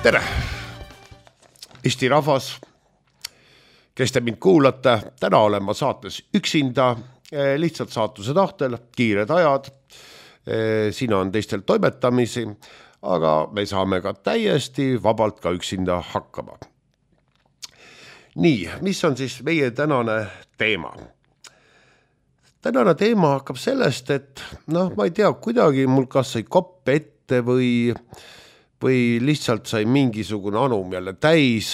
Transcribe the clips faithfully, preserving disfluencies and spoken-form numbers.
Tere! Eesti rahvas, kes te mind kuulate, täna olen ma saates üksinda, lihtsalt saatuse tahtel, kiired ajad, siin on teistel toimetamisi, aga me saame ka täiesti vabalt ka üksinda hakkama. Nii, mis on siis meie tänane teema? Tänane teema hakkab sellest, et noh, ma ei tea, kuidagi mul kas sai kopp ette või, või lihtsalt sai mingisugune anum jälle täis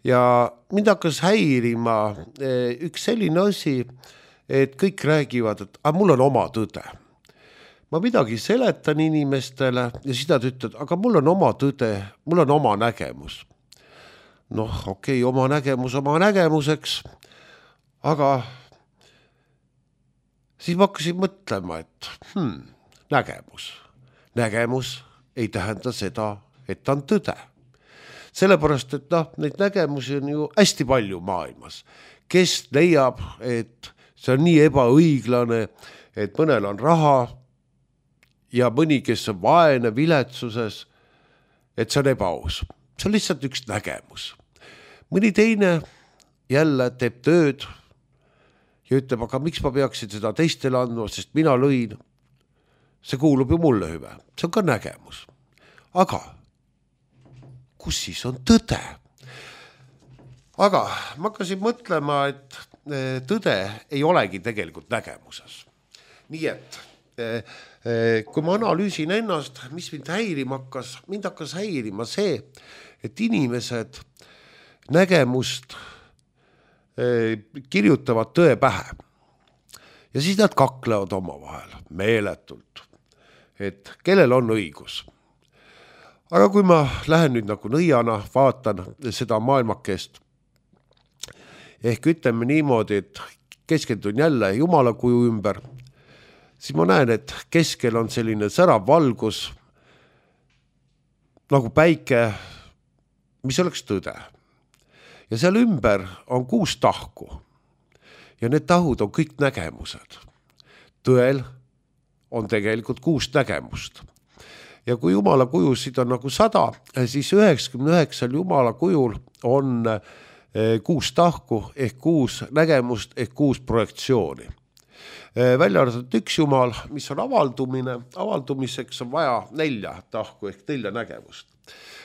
ja mind hakkas häirima üks selline asi, et kõik räägivad, et aga mul on oma tõde. Ma midagi seletan inimestele ja siis nad ütled, aga mul on oma tõde, mul on oma nägemus. Noh, okei, okay, oma nägemus oma nägemuseks, aga siis ma hakkasin mõtlema, et hmm, nägemus. Nägemus ei tähenda seda, et ta on tõde. Sellepärast, et noh, neid nägemusi on ju hästi palju maailmas. Kes leiab, et see on nii ebaõiglane, et mõnel on raha ja mõni, kes on vaene viletsuses, et see on ebaaus. See on lihtsalt üks nägemus. Mõni teine jälle teeb tööd ja ütleb, aga miks ma peaksin seda teistele andma, sest mina lõin. See kuulub ju mulle hüve. See on ka nägemus. Aga kus siis on tõde? Aga ma hakkasin mõtlema, et tõde ei olegi tegelikult nägemuses. Nii et kui ma analüüsin ennast, mis mind häirima hakkas, mind hakkas häirima see, et inimesed nägemust kirjutavad tõe pähe. Ja siis nad kaklevad oma vahel meeletult, et kellel on õigus. Aga kui ma lähen nüüd nagu nõiana, vaatan seda maailmakest, ehk ütleme niimoodi, et keskendun jälle Jumala kuju ümber, siis ma näen, et keskel on selline särav valgus, nagu päike, mis oleks tõde. Ja seal ümber on kuus tahku. Ja need tahud on kõik nägemused. Tõel on tegelikult kuus nägemust. Ja kui Jumala kujusid on nagu sada, siis üheksakümne üheksal Jumala kujul on kuus tahku ehk kuus nägemust ehk kuus projektsiooni. Välja arvatud üks Jumal, mis on avaldumine, avaldumiseks on vaja nelja tahku ehk nelja nägemust.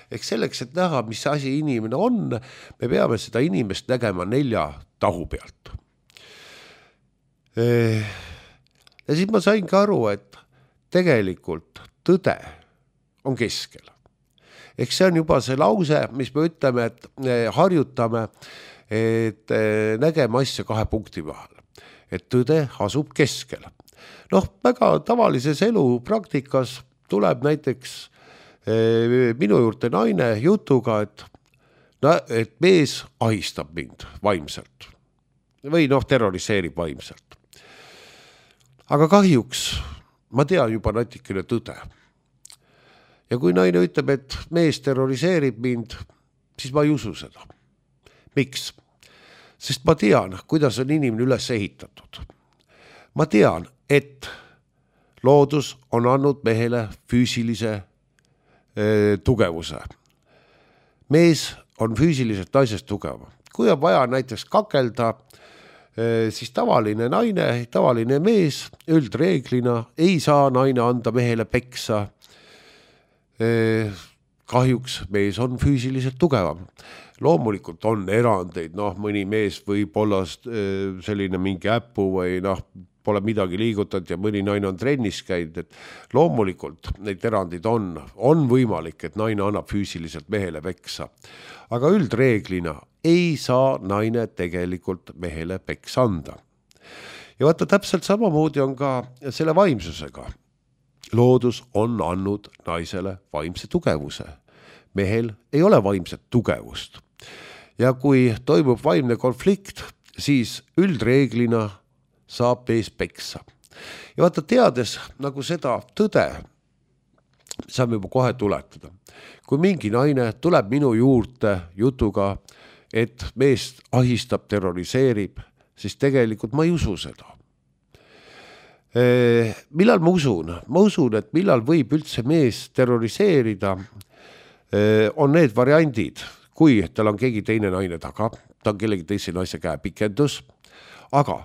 Ehk selleks, et näha, mis asi inimene on, me peame seda inimest nägema nelja tahu pealt. Ja siis ma saingi aru, et tegelikult tõde on keskel. Ehk see on juba see lause, mis me ütleme, et harjutame, et nägeme asja kahe punkti vahel. Et tõde asub keskel. Noh, väga tavalises elu praktikas tuleb näiteks minu juurde naine jutuga, et, no, et mees ahistab mind vaimselt. Või noh, terroriseerib vaimselt. Aga kahjuks ma tean juba natikene tõde. Ja kui naine ütleb, et mees terroriseerib mind, siis ma ei usu seda. Miks? Sest ma tean, kuidas on inimene üles ehitatud. Ma tean, et loodus on andnud mehele füüsilise e, tugevuse. Mees on füüsiliselt naisest tugev. Kui on vaja näiteks kakelda, e, siis tavaline naine, tavaline mees üldreeglina ei saa naine anda mehele peksa. E, kahjuks mees on füüsiliselt tugevam. Loomulikult on erandeid, noh, mõni mees võib olla selline mingi äppu või noh, pole midagi liigutanud ja mõni naine on trennis käinud, et loomulikult neid erandid on, on võimalik, et naine annab füüsiliselt mehele peksa. Aga üldreeglina ei saa naine tegelikult mehele peksa anda. Ja vaata, täpselt samamoodi on ka selle vaimsusega. Loodus on andnud naisele vaimse tugevuse. Mehel ei ole vaimset tugevust. Ja kui toimub vaimne konflikt, siis üldreeglina saab mees peksa. Ja vaata, teades nagu seda tõde, saame juba kohe tuletada. Kui mingi naine tuleb minu juurde jutuga, et mees ahistab, terroriseerib, siis tegelikult ma ei usu seda. Millal ma usun? Ma usun, et millal võib üldse mees terroriseerida, on need variandid, kui tal on keegi teine naine taga, ta on kellegi teise naise käe pikendus, aga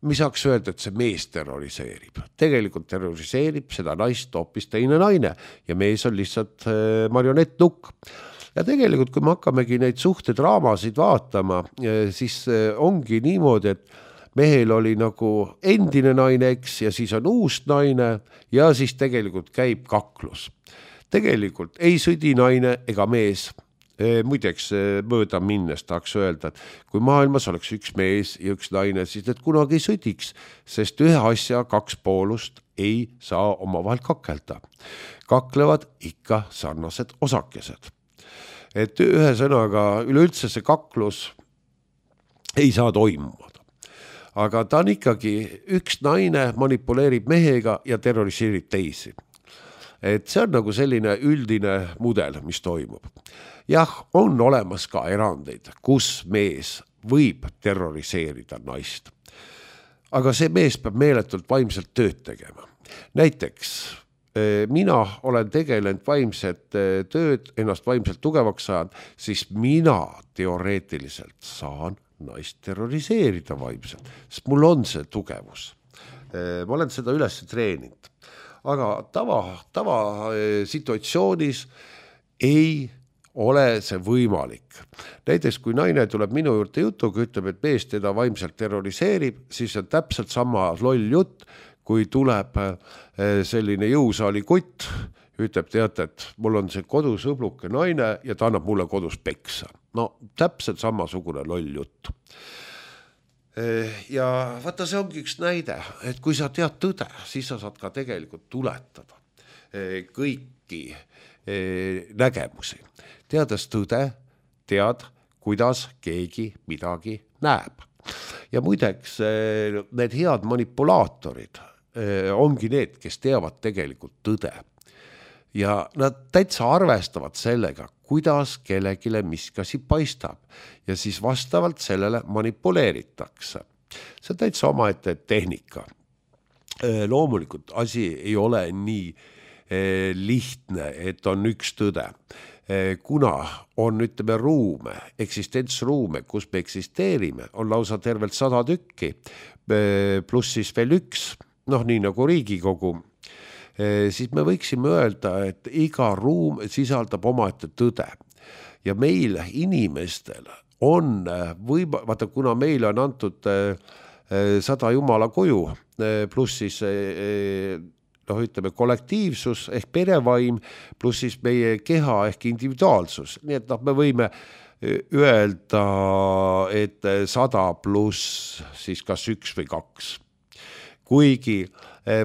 mis saaks öelda, et see mees terroriseerib. Tegelikult terroriseerib seda naist hoopis teine naine ja mees on lihtsalt marionettnukk. Ja tegelikult, kui me hakkamegi neid suhtedraamasid vaatama, siis ongi niimoodi, et mehel oli nagu endine naine, eks, ja siis on uus naine ja siis tegelikult käib kaklus. Tegelikult ei sõdi naine ega mees. Muideks mööda minnes tahaks öelda, et kui maailmas oleks üks mees ja üks naine, siis need kunagi ei sõdiks, sest ühe asja kaks poolust ei saa omavahel kakelda. Kaklevad ikka sarnased osakesed. Et ühe sõnaga üleüldse see kaklus ei saa toimuda. Aga ta on ikkagi üks naine manipuleerib mehega ja terroriseerib teisi. Et see on nagu selline üldine mudel, mis toimub. Jah, on olemas ka erandeid, kus mees võib terroriseerida naist. Aga see mees peab meeletult vaimselt tööd tegema. Näiteks mina olen tegelenud vaimset tööd, ennast vaimselt tugevaks saanud, siis mina teoreetiliselt saan naist terroriseerida vaimselt, sest mul on see tugevus. Ma olen seda üles treeninud. Aga tava, tava situatsioonis ei ole see võimalik. Näiteks kui naine tuleb minu juurde jutuga, ütleb, et mees teda vaimselt terroriseerib, siis on täpselt sama loll jutt, kui tuleb selline jõusaali kutt, ütleb, teate, et mul on see kodus õbluke naine ja ta annab mulle kodus peksa. No täpselt samasugune loll jutt. Ja vaata, see ongi üks näide, et kui sa tead tõde, siis sa saad ka tegelikult tuletada kõiki nägemusi. Teades tõde, tead, kuidas keegi midagi näeb. Ja muideks need head manipulaatorid ongi need, kes teavad tegelikult tõde. Ja nad täitsa arvestavad sellega, kuidas kellegile miskasi paistab ja siis vastavalt sellele manipuleeritakse. See on täitsa omaette tehnika. Loomulikult asi ei ole nii lihtne, et on üks tõde. Kuna on, ütleme, ruume, eksistentsruume, kus me eksisteerime, on lausa tervelt sada tükki, pluss siis veel üks, noh nii nagu Riigikogu, siis me võiksime öelda, et iga ruum sisaldab omaette tõde. Ja meil inimestel on võima, vaata, kuna meile on antud sada jumala kuju, pluss siis noh, ütleme, kollektiivsus ehk perevaim, pluss siis meie keha ehk individuaalsus. Nii et noh, me võime öelda, et sada pluss siis kas üks või kaks. Kuigi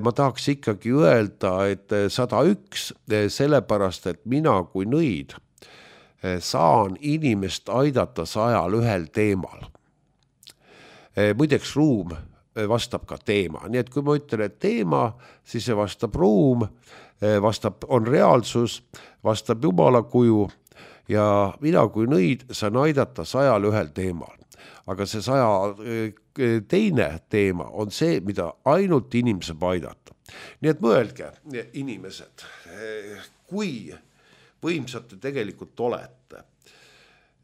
ma tahaks ikkagi öelda, et sada üks, sellepärast, et mina kui nõid saan inimest aidata sajal ühel teemal. Muideks ruum vastab ka teema. Nii et kui ma ütlen, et teema, siis see vastab ruum, vastab, on reaalsus, vastab jumala kuju ja mina kui nõid saan aidata sajal ühel teemal. Aga see saja teine teema on see, mida ainult inimese aidata. Nii et mõelge, inimesed, kui võimsad te tegelikult olete,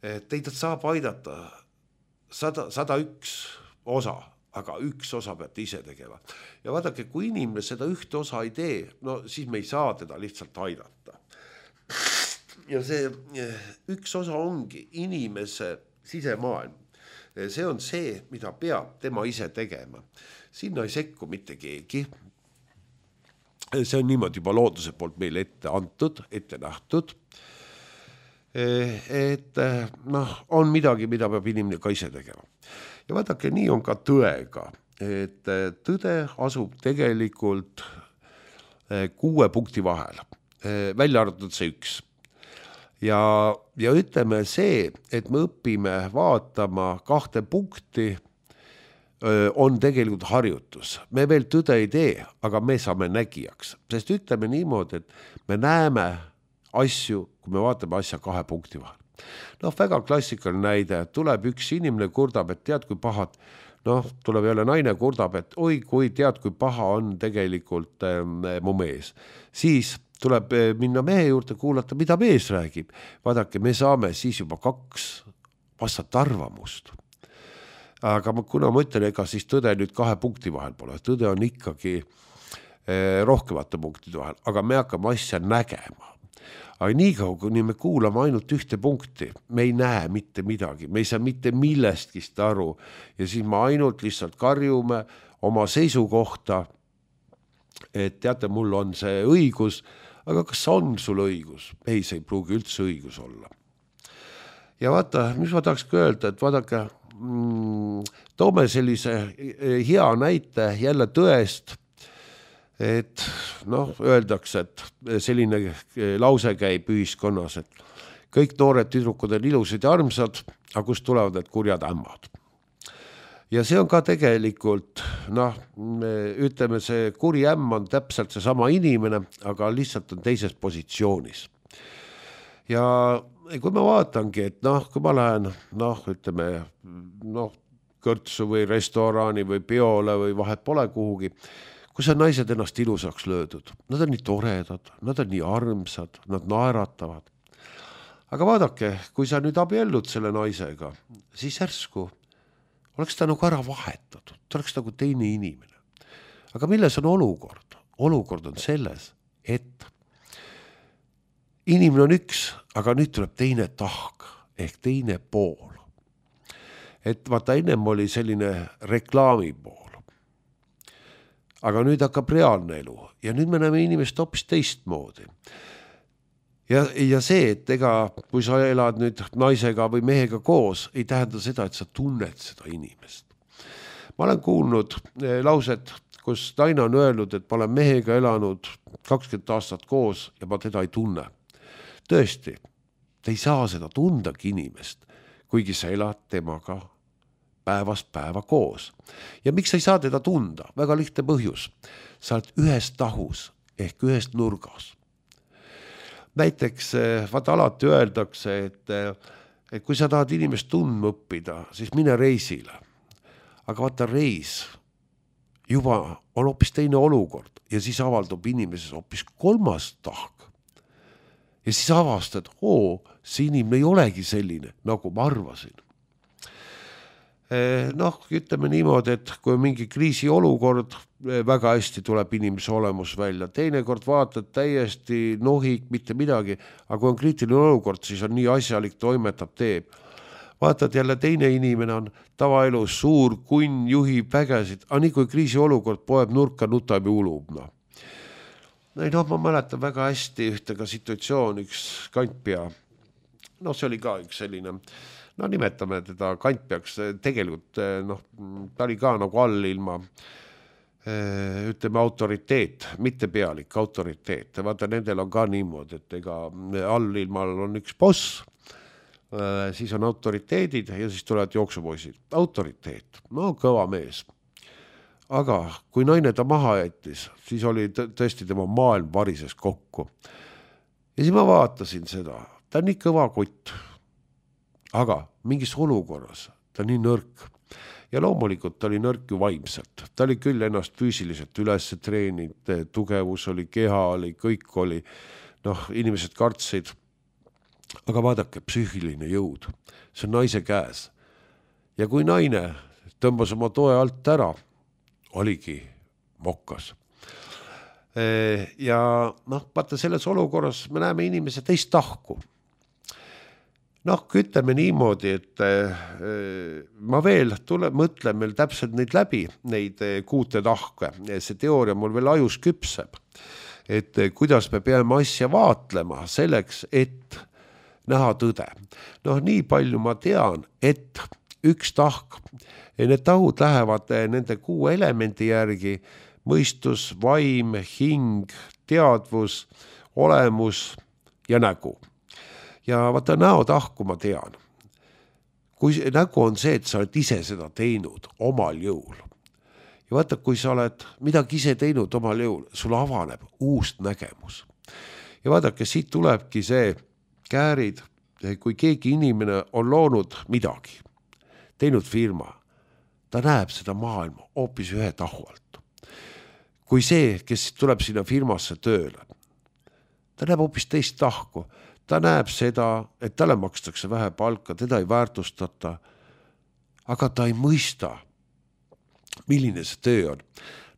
teid saab aidata sada, sada üks osa, aga üks osa peate ise tegema. Ja vaadake, kui inimene seda ühte osa ei tee, no siis me ei saa teda lihtsalt aidata. Ja see üks osa ongi inimese sisemaailm. See on see, mida peab tema ise tegema. Sinna ei sekku mitte keegi. See on niimoodi juba looduse poolt meile ette antud, ette nähtud. Et noh, on midagi, mida peab inimene ka ise tegema. Ja vaadake, nii on ka tõega. Et tõde asub tegelikult kuue punkti vahel. Välja arvatud see üks. Ja, ja ütleme see, et me õpime vaatama kahte punkti, on tegelikult harjutus. Me veel tõde ei tee, aga me saame nägijaks. Sest ütleme niimoodi, et me näeme asju, kui me vaatame asja kahe punkti vahel. Noh, väga klassikaline näide, tuleb üks inimene kurdab, et tead, kui pahad, noh, tuleb jälle naine kurdab, et oi, kui tead, kui paha on tegelikult äh, mu mees. Siis tuleb minna mehe juurde kuulata, mida mees räägib. Vaadake, me saame siis juba kaks vastat arvamust. Aga ma, kuna ma ütlen, ega siis tõde nüüd kahe punkti vahel pole. Tõde on ikkagi eh, rohkemate punktide vahel, aga me hakkame asja nägema. Aga nii kaua, kui me kuulame ainult ühte punkti, me ei näe mitte midagi, me ei saa mitte millestkist aru ja siis me ainult lihtsalt karjume oma seisukohta, et teate, mul on see õigus, aga kas on sul õigus? Ei, see ei pruugi üldse õigus olla. Ja vaata, mis ma tahakski öelda, et vaadake, mm, toome sellise hea näite jälle tõest, et noh, öeldakse, et selline lause käib ühiskonnas, et kõik noored tüdrukud on ilusad ja armsad, aga kust tulevad need kurjad ämmad. Ja see on ka tegelikult, noh, me ütleme, see kuri ämm on täpselt see sama inimene, aga lihtsalt on teises positsioonis. Ja kui ma vaatangi, et noh, kui ma lähen, noh, ütleme, noh, kõrtsu või restorani või peole või vahet pole kuhugi, kus on naised ennast ilusaks löödud. Nad on nii toredad, nad on nii armsad, nad naeratavad. Aga vaadake, kui sa nüüd abiellud selle naisega, siis järsku oleks ta nagu ära vahetatud, ta oleks nagu teine inimene. Aga milles on olukord? Olukord on selles, et inimene on üks, aga nüüd tuleb teine tahk ehk teine pool. Et vaata, ennem oli selline reklaami pool. Aga nüüd hakkab reaalne elu ja nüüd me näeme inimest hoopis teistmoodi. Ja, ja see, et ega kui sa elad nüüd naisega või mehega koos, ei tähenda seda, et sa tunned seda inimest. Ma olen kuulnud lauset, kus naine on öelnud, et ma olen mehega elanud kakskümmend aastat koos ja ma teda ei tunne. Tõesti, te ei saa seda tundagi inimest, kuigi sa elad temaga päevast päeva koos. Ja miks sa ei saa teda tunda? Väga lihtne põhjus. Sa oled ühes tahus ehk ühes nurgas. Näiteks, vaata alati öeldakse, et, et kui sa tahad inimest tundma õppida, siis mine reisile. Aga vaata, reis juba on hoopis teine olukord ja siis avaldub inimeses hoopis kolmas tahk. Ja siis avastad, oo, see inimene ei olegi selline, nagu ma arvasin. Noh, ütleme niimoodi, et kui mingi kriisi olukord, väga hästi tuleb inimese olemus välja. Teinekord vaatad täiesti nohik, mitte midagi, aga kui on kriitiline olukord, siis on nii asjalik, toimetab, teeb. Vaatad jälle teine inimene on tavaelus suur, kunn, juhib vägesid, aga nii kui kriisi olukord poeb nurka, nutab ja ulub. No. No, ma mäletan väga hästi ühte ka situatsioon, üks kantpea. No see oli ka üks selline... No nimetame teda kantpeaks, tegelikult noh, ta oli ka nagu all ilma, ütleme autoriteet, mitte pealik, autoriteet. Vaata, nendel on ka niimoodi, et ega all ilmal on üks boss, siis on autoriteedid ja siis tulevad jooksupoisid. Autoriteet, no kõva mees. Aga kui naine ta maha jättis, siis oli tõesti tema maailm varises kokku. Ja siis ma vaatasin seda, ta on nii kõva kutt. Aga mingis olukorras ta nii nõrk ja loomulikult ta oli nõrk ju vaimselt. Ta oli küll ennast füüsiliselt üles treeninud, tugevus oli, keha oli, kõik oli, noh, inimesed kartsid. Aga vaadake, psüühiline jõud, see on naise käes. Ja kui naine tõmbas oma toe alt ära, oligi mokkas. Ja noh, vaata selles olukorras me näeme inimese teist tahku. Noh, ütleme niimoodi, et ma veel tule, mõtlen meil täpselt neid läbi, neid kuute tahke. See teooria mul veel ajus küpseb, et kuidas me peame asja vaatlema selleks, et näha tõde. Noh, nii palju ma tean, et üks tahk, need tahud lähevad nende kuu elemendi järgi, mõistus, vaim, hing, teadvus, olemus ja nägu. Ja vaata näotahku ma tean. Kui nägu on see, et sa oled ise seda teinud omal jõul. Ja vaata, kui sa oled midagi ise teinud omal jõul, sul avaneb uus nägemus. Ja vaadake, siit tulebki see käärid, kui keegi inimene on loonud midagi, teinud firma, ta näeb seda maailma hoopis ühe tahu alt. Kui see, kes tuleb sinna firmasse tööle, ta näeb hoopis teist tahku. Ta näeb seda, et talle makstakse vähe palka, teda ei väärtustata, aga ta ei mõista, milline see töö on.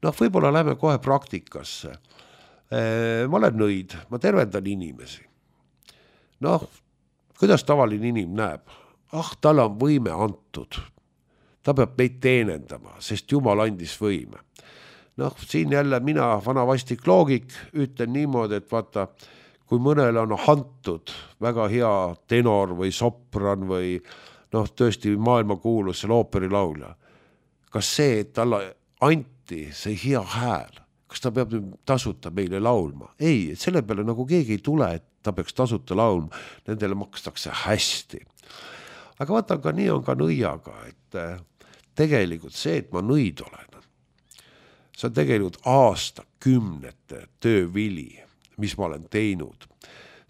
Noh, võib-olla läheme kohe praktikasse. Ma olen nõid, ma tervendan inimesi. Noh, kuidas tavaline inim näeb? Ah, tal on võime antud. Ta peab meid teenendama, sest Jumal andis võime. Noh, siin jälle mina, vana vastik loogik, ütlen niimoodi, et vaata, kui mõnel on antud väga hea tenor või sopran või noh, tõesti maailma kuulus selle ooperilaulja. Kas see, et talle anti see hea hääl, kas ta peab tasuta meile laulma? Ei, selle peale nagu keegi ei tule, et ta peaks tasuta laulma. Nendele makstakse hästi. Aga vaata, ka nii on ka nõiaga, et tegelikult see, et ma nõid olen, see on tegelikult aasta kümnete töövili, mis ma olen teinud.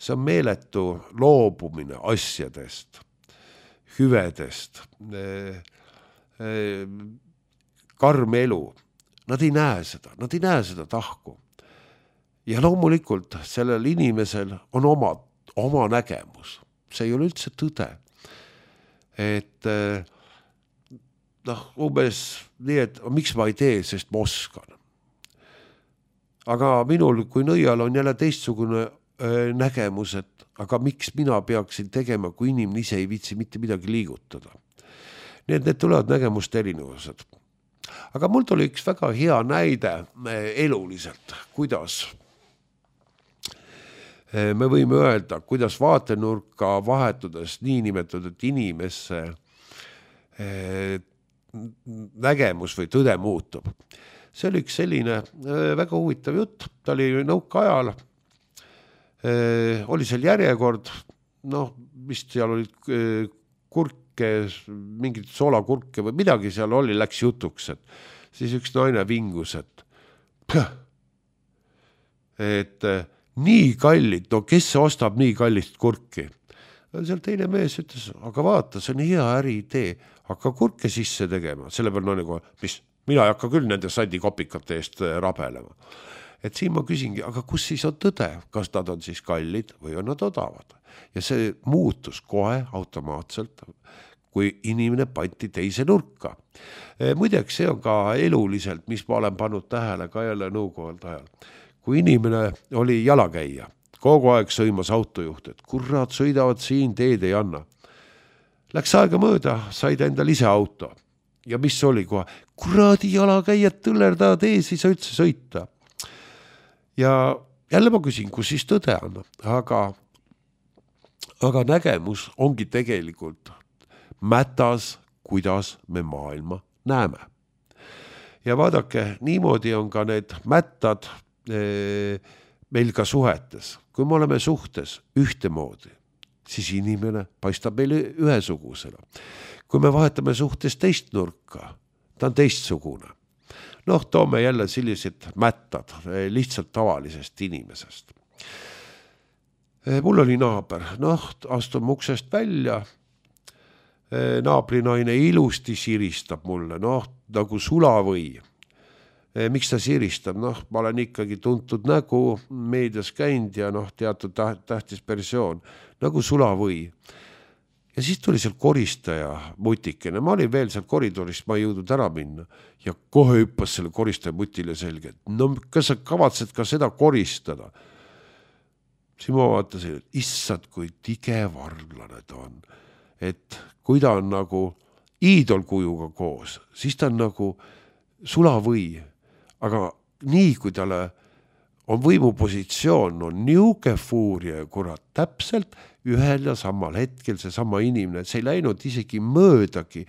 See on meeletu loobumine asjadest, hüvedest, karm elu. Nad ei näe seda, nad ei näe seda tahku. Ja loomulikult sellel inimesel on oma, oma nägemus. See ei ole üldse tõde. Et noh, umbes nii, et miks ma ei tee, sest ma oskan. Aga minul, kui nõial on jälle teistsugune nägemus, et aga miks mina peaksin tegema, kui inimene ise ei viitsi mitte midagi liigutada. Nii et need tulevad nägemust erinevused. Aga mul tuli üks väga hea näide eluliselt, kuidas me võime öelda, kuidas vaatenurka vahetudes niinimetatud inimesse nägemus või tõde muutub. See oli üks selline väga huvitav jutt, ta oli nõuka ajal, oli seal järjekord, noh, vist seal olid kurke, mingid soolakurke või midagi seal oli, läks jutuks, et siis üks naine vingus, et püh, et nii kallid, no kes ostab nii kallist kurki? Seal teine mees ütles, aga vaata, see on hea äri idee, hakka kurke sisse tegema, selle peal naine kohe, mis mina ei hakka küll nende sandikopikate eest rabelema. Et siin ma küsingi, aga kus siis on tõde? Kas nad on siis kallid või on nad odavad? Ja see muutus kohe automaatselt, kui inimene panti teise nurka. Muideks see on ka eluliselt, mis ma olen pannud tähele ka jälle nõukohalt ajal. Kui inimene oli jalakäija, kogu aeg sõimas autojuht, et kurat, sõidavad siin, teed ei anna. Läks aega mööda, said endal ise auto. Ja mis oli kohe? Kuradi jalakäijad tõllerdavad ees, ei saa üldse sõita. Ja jälle ma küsin, kus siis tõde on, aga, aga nägemus ongi tegelikult mätas, kuidas me maailma näeme. Ja vaadake, niimoodi on ka need mättad e, meil ka suhetes. Kui me oleme suhtes ühtemoodi, siis inimene paistab meile ühesugusena. Kui me vahetame suhtes teist nurka, ta on teistsugune. Noh, toome jälle sellised mättad lihtsalt tavalisest inimesest. Mul oli naaber, noh, astun uksest välja, naabrinaine ilusti siristab mulle, noh, nagu sulavõi. Miks ta siristab? Noh, ma olen ikkagi tuntud nägu, meedias käinud ja noh, teatud tähtis persoon, nagu sulavõi. Ja siis tuli seal koristaja mutikene. Ma olin veel seal koridorist, ma ei jõudnud ära minna. Ja kohe hüppas selle koristaja mutile selge. No kas sa kavatsed ka seda koristada? Siis ma vaatasin, et issad, kui tige varglane ta on. Et kui ta on nagu iidolkujuga koos, siis ta on nagu sulavõi. Aga nii, kui talle on võimupositsioon, on niuke fuuria ja kurat täpselt ühel ja samal hetkel see sama inimene, see ei läinud isegi möödagi,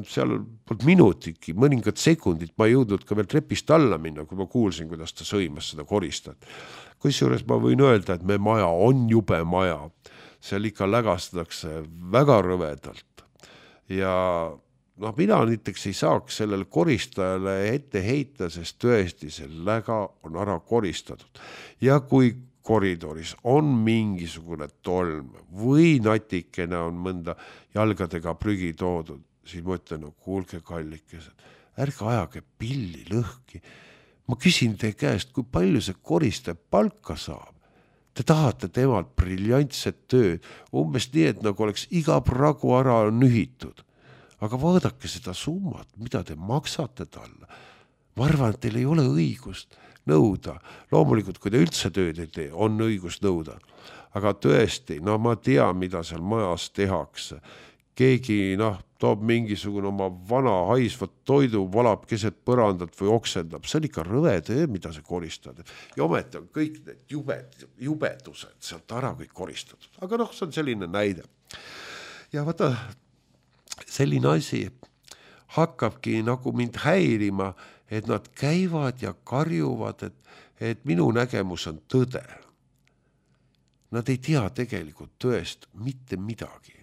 seal polnud minutiki, mõningad sekundid, ma ei jõudnud ka veel trepist alla minna, kui ma kuulsin, kuidas ta sõimas seda koristat. Kusjuures ma võin öelda, et me maja on jube maja, seal ikka lägastatakse väga rõvedalt ja noh, mina näiteks ei saaks sellele koristajale ette heita, sest tõesti see läga on ära koristatud. Ja kui koridoris on mingisugune tolm või natikene on mõnda jalgadega prügi toodud, siis ma ütlen, no kuulge kallikesed, ärge ajage pilli lõhki. Ma küsin teie käest, kui palju see koristaja palka saab. te tahate temalt briljantset tööd, umbes nii, et nagu oleks iga pragu ära nühitud. Aga vaadake seda summat, mida te maksate talle. Ma arvan, et teil ei ole õigust nõuda. Loomulikult, kui te üldse tööd ei tee, on õigus nõuda. Aga tõesti, no ma tean, mida seal majas tehakse. Keegi noh, toob mingisugune oma vana haisvat toidu, valab keset põrandat või oksendab. See on ikka rõve töö, mida see koristad. Ja ometi on kõik need jubed, jubedused sealt ära kõik koristatud. Aga noh, see on selline näide. Ja vaata, selline asi hakkabki nagu mind häirima, et nad käivad ja karjuvad, et, et minu nägemus on tõde. Nad ei tea tegelikult tõest mitte midagi.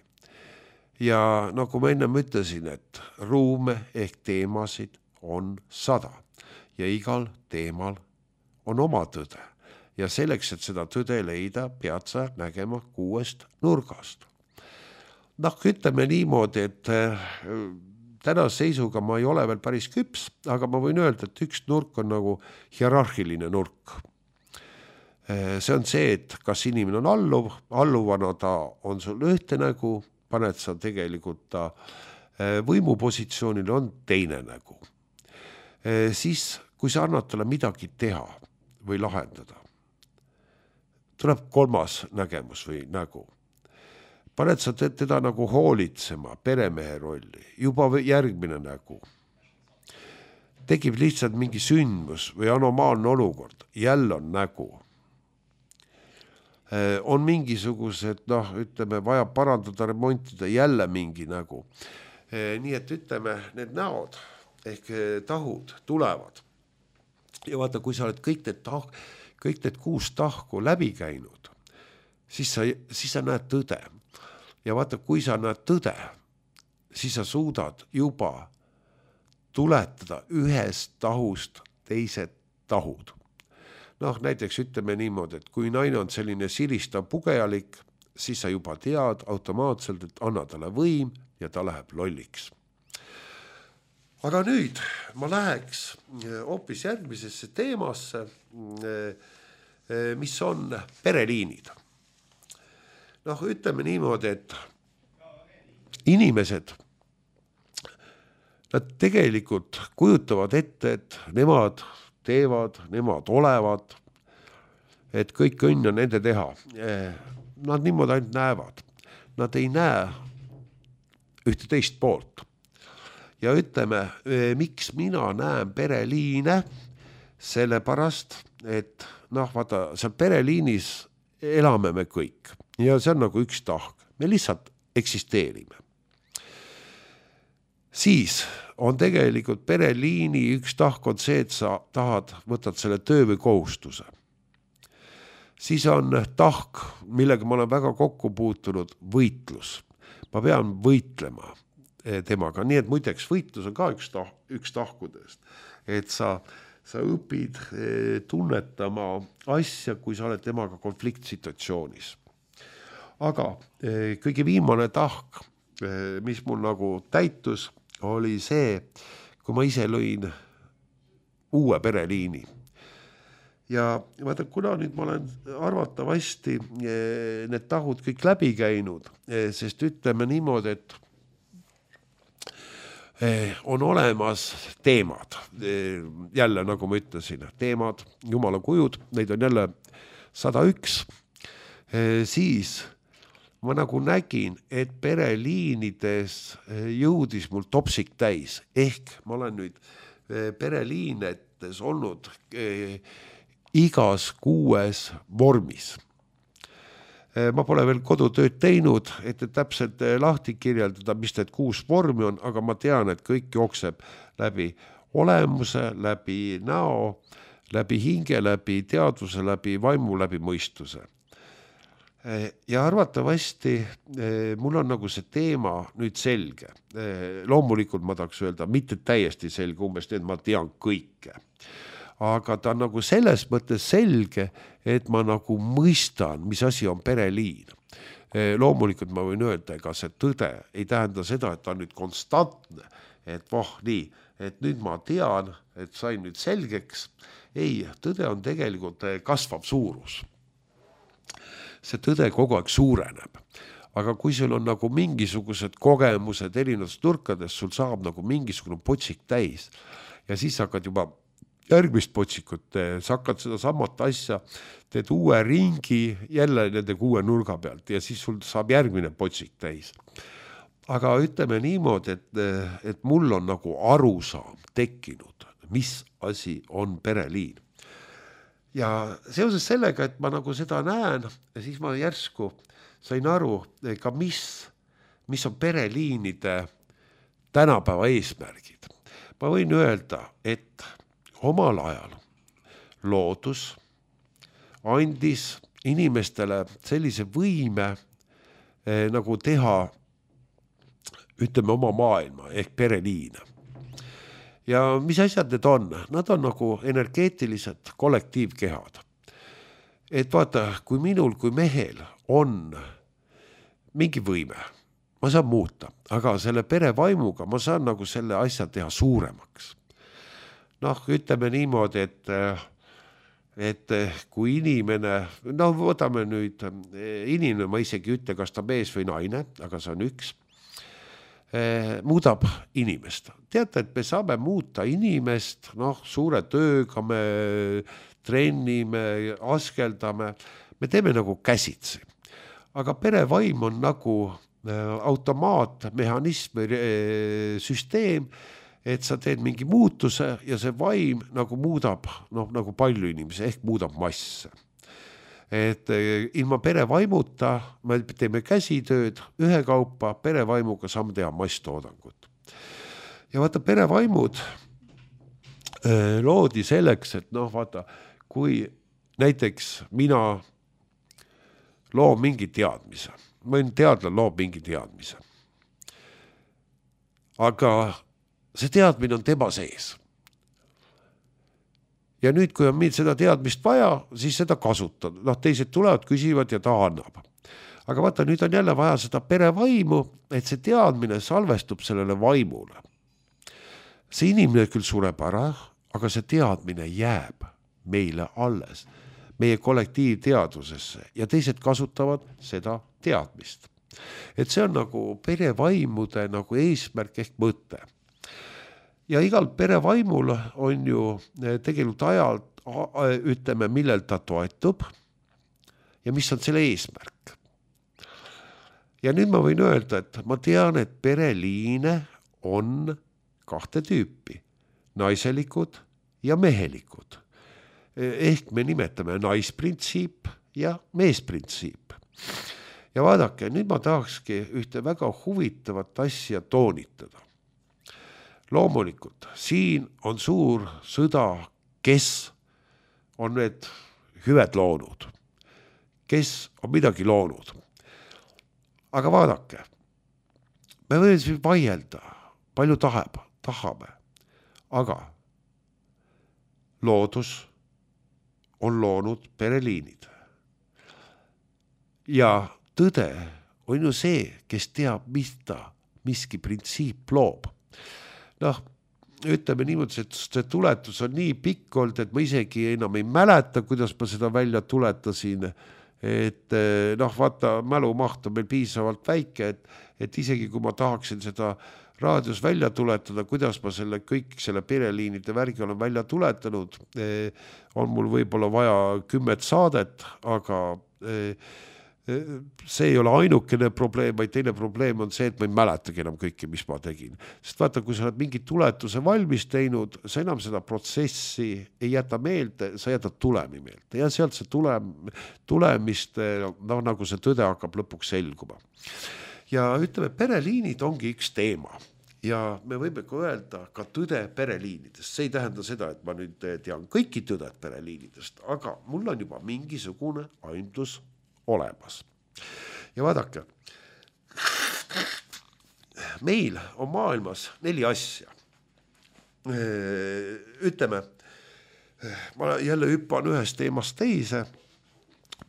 Ja nagu ma ennem ütlesin, et ruume ehk teemasid on sada ja igal teemal on oma tõde. Ja selleks, et seda tõde leida, pead sa nägema kuuest nurgast. Noh, ütleme niimoodi, et tänase seisuga ma ei ole veel päris küps, aga ma võin öelda, et üks nurk on nagu hierarhiline nurk. See on see, et kas inimene on alluv, alluvana ta on sul ühte nägu, paned sa tegelikult ta võimupositsioonil on teine nägu. Siis, kui sa annad talle midagi teha või lahendada, tuleb kolmas nägemus või nägu. Paned sa teda nagu hoolitsema, peremehe rolli, juba järgmine nägu. Tekib lihtsalt mingi sündmus või anomaalne olukord, jälle on nägu. On mingisugused, noh, ütleme, vaja parandada, remontida, jälle mingi nägu. Nii et ütleme, need näod ehk tahud tulevad. Ja vaata, kui sa oled kõik need, tah, kõik need kuus tahku läbi käinud, siis sa, siis sa näed tõde. Ja vaata, kui sa näed tõde, siis sa suudad juba tuletada ühest tahust teised tahud. Noh, näiteks ütleme niimoodi, et kui naine on selline siristav pugejalik, siis sa juba tead automaatselt, et anna talle võim ja ta läheb lolliks. Aga nüüd ma läheks hoopis järgmisesse teemasse, mis on pereliinid. Noh, ütleme niimoodi, et inimesed, nad tegelikult kujutavad ette, et nemad teevad, nemad olevad, et kõik õnn on nende teha. Nad niimoodi ainult näevad. Nad ei näe ühte teist poolt. Ja ütleme, miks mina näen pereliine, sellepärast, et noh, vaata, seal pereliinis elame me kõik. Ja see on nagu üks tahk. Me lihtsalt eksisteerime. Siis on tegelikult pereliini üks tahk on see, et sa tahad, võtad selle töö või kohustuse. Siis on tahk, millega ma olen väga kokku puutunud, võitlus. Ma pean võitlema temaga. Nii et muideks võitlus on ka üks, tah, üks tahkudest. Et sa, sa õpid tunnetama asja, kui sa oled temaga konfliktsituatsioonis. Aga kõige viimane tahk, mis mul nagu täitus, oli see, kui ma ise lõin uue pereliini. Ja vaata, kuna nüüd ma olen arvatavasti need tahud kõik läbi käinud, sest ütleme niimoodi, et on olemas teemad. Jälle, nagu ma ütlesin, teemad, jumala kujud, neid on jälle sada üks. Siis ma nagu nägin, et pereliinides jõudis mul topsik täis. Ehk ma olen nüüd pereliinetes olnud igas kuues vormis. Ma pole veel kodutööd teinud, et täpselt lahti kirjeldada, mis need kuus vormi on, aga ma tean, et kõik jookseb läbi olemuse, läbi näo, läbi hinge, läbi teadvuse, läbi vaimu, läbi mõistuse. Ja arvatavasti mul on nagu see teema nüüd selge. Loomulikult ma tahaks öelda, mitte täiesti selge, umbes nii, et ma tean kõike. Aga ta on nagu selles mõttes selge, et ma nagu mõistan, mis asi on pereliin. Loomulikult ma võin öelda, ega see tõde ei tähenda seda, et ta on nüüd konstantne, et voh nii, et nüüd ma tean, et sain nüüd selgeks. Ei, tõde on tegelikult kasvav suurus. see tõde kogu aeg suureneb. Aga kui sul on nagu mingisugused kogemused erinevates nurkades, sul saab nagu mingisugune potsik täis ja siis hakkad juba järgmist potsikut, sa hakkad seda samat asja, teed uue ringi jälle nende kuue nurga pealt ja siis sul saab järgmine potsik täis. Aga ütleme niimoodi, et, et mul on nagu arusaam tekkinud, mis asi on pereliin. Ja seoses sellega, et ma nagu seda näen, ja siis ma järsku sain aru ka, mis, mis on pereliinide tänapäeva eesmärgid. Ma võin öelda, et omal ajal loodus andis inimestele sellise võime eh, nagu teha, ütleme, oma maailma ehk pereliine. Ja mis asjad need on? Nad on nagu energeetilised kollektiivkehad. Et vaata, kui minul kui mehel on mingi võime, ma saan muuta, aga selle perevaimuga ma saan nagu selle asja teha suuremaks. Noh, ütleme niimoodi, et, et kui inimene, no võtame nüüd, inimene, ma isegi ütle, kas ta mees või naine, aga see on üks, muudab inimest. Teate, et me saame muuta inimest, noh, suure tööga me trennime, askeldame, me teeme nagu käsitsi. Aga perevaim on nagu automaat, mehhanism, süsteem, et sa teed mingi muutuse ja see vaim nagu muudab, noh, nagu palju inimesi, ehk muudab masse. Et ilma perevaimuta me teeme käsitööd ühe kaupa, perevaimuga saame teha masstoodangut. Ja vaata, perevaimud loodi selleks, et noh, vaata, kui näiteks mina loon mingi teadmise, ma teadlan loob mingi teadmise, aga see teadmine on tema sees. Ja nüüd, kui on meil seda teadmist vaja, siis seda kasutada. Noh, teised tulevad, küsivad ja ta annab. Aga vaata, nüüd on jälle vaja seda perevaimu, et see teadmine salvestub sellele vaimule. See inimene küll sureb ära, aga see teadmine jääb meile alles, meie kollektiivteadusesse ja teised kasutavad seda teadmist. Et see on nagu perevaimude nagu eesmärk ehk mõte. Ja igal perevaimul on ju tegelikult ajalt, ütleme, millel ta toetub ja mis on selle eesmärk. Ja nüüd ma võin öelda, et ma tean, et pereliine on kahte tüüpi, naiselikud ja mehelikud. Ehk me nimetame naisprintsiip ja meesprintsiip. Ja vaadake, nüüd ma tahakski ühte väga huvitavat asja toonitada. Loomulikult, siin on suur sõda, kes on need hüved loonud, kes on midagi loonud. Aga vaadake, me võime siis vaielda, palju tahab, tahame, aga loodus on loonud pereliinid. Ja tõde on ju see, kes teab, mis ta miski printsiip loob. Noh, ütleme niimoodi, et see tuletus on nii pikk olnud, et ma isegi enam ei mäleta, kuidas ma seda välja tuletasin, et noh, vaata, mälumaht on meil piisavalt väike, et, et isegi kui ma tahaksin seda raadios välja tuletada, kuidas ma selle kõik selle pereliinide värgi olen välja tuletanud, on mul võib-olla vaja kümmet saadet, aga see ei ole ainukene probleem, vaid teine probleem on see, et ma ei mäletagi enam kõike, mis ma tegin. Sest vaata, kui sa oled mingi tuletuse valmis teinud, sa enam seda protsessi ei jäta meelde, sa jätad tulemi meelde. Ja sealt see tulem, tulemist, no, nagu see tõde hakkab lõpuks selguma. Ja ütleme, pereliinid ongi üks teema. Ja me võime ka öelda ka tõde pereliinidest. See ei tähenda seda, et ma nüüd tean kõiki tõded pereliinidest, aga mul on juba mingisugune aimdus olemas. Ja vaadake, meil on maailmas neli asja. Ütleme, ma jälle hüppan ühest teemast teise,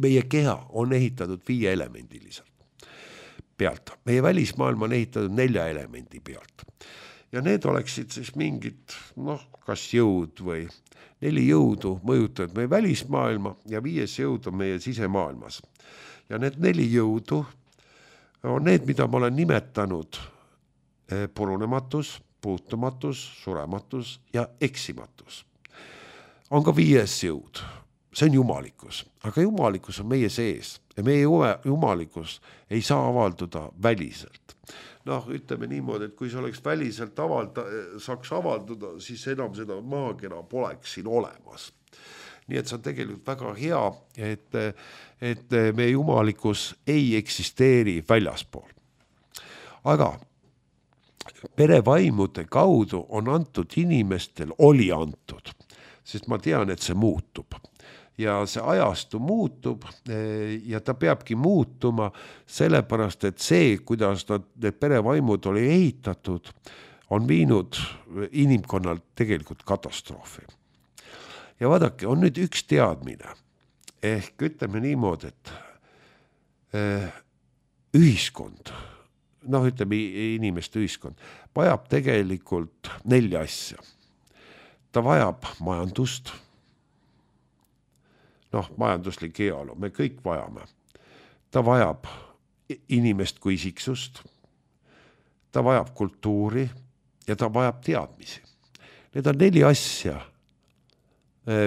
meie keha on ehitatud viie elemendiliselt pealt. Meie välismaailm on ehitatud nelja elemendi pealt. Ja need oleksid siis mingid, noh, kas jõud või neli jõudu mõjutavad meie välismaailma ja viies jõud on meie sisemaailmas. ja need neli jõudu on need, mida ma olen nimetanud purunematus, puutumatus, surematus ja eksimatus. On ka viies jõud, see on jumalikkus, aga jumalikkus on meie sees ja meie jumalikkus ei saa avalduda väliselt. Noh, ütleme niimoodi, et kui see oleks väliselt avalda, saaks avalduda, siis enam seda maakera poleks siin olemas. Nii et see on tegelikult väga hea, et, et meie jumalikkus ei eksisteeri väljaspool. Aga perevaimude kaudu on antud inimestel, oli antud, sest ma tean, et see muutub. Ja see ajastu muutub ja ta peabki muutuma sellepärast, et see, kuidas need perevaimud oli ehitatud, on viinud inimkonnalt tegelikult katastroofi. Ja vaadake, on nüüd üks teadmine, ehk ütleme niimoodi, et ühiskond, noh ütleme inimeste ühiskond, vajab tegelikult nelja asja. Ta vajab majandust, noh majanduslik heaolu, me kõik vajame. Ta vajab inimest kui isiksust, ta vajab kultuuri ja ta vajab teadmisi. Need on neli asja,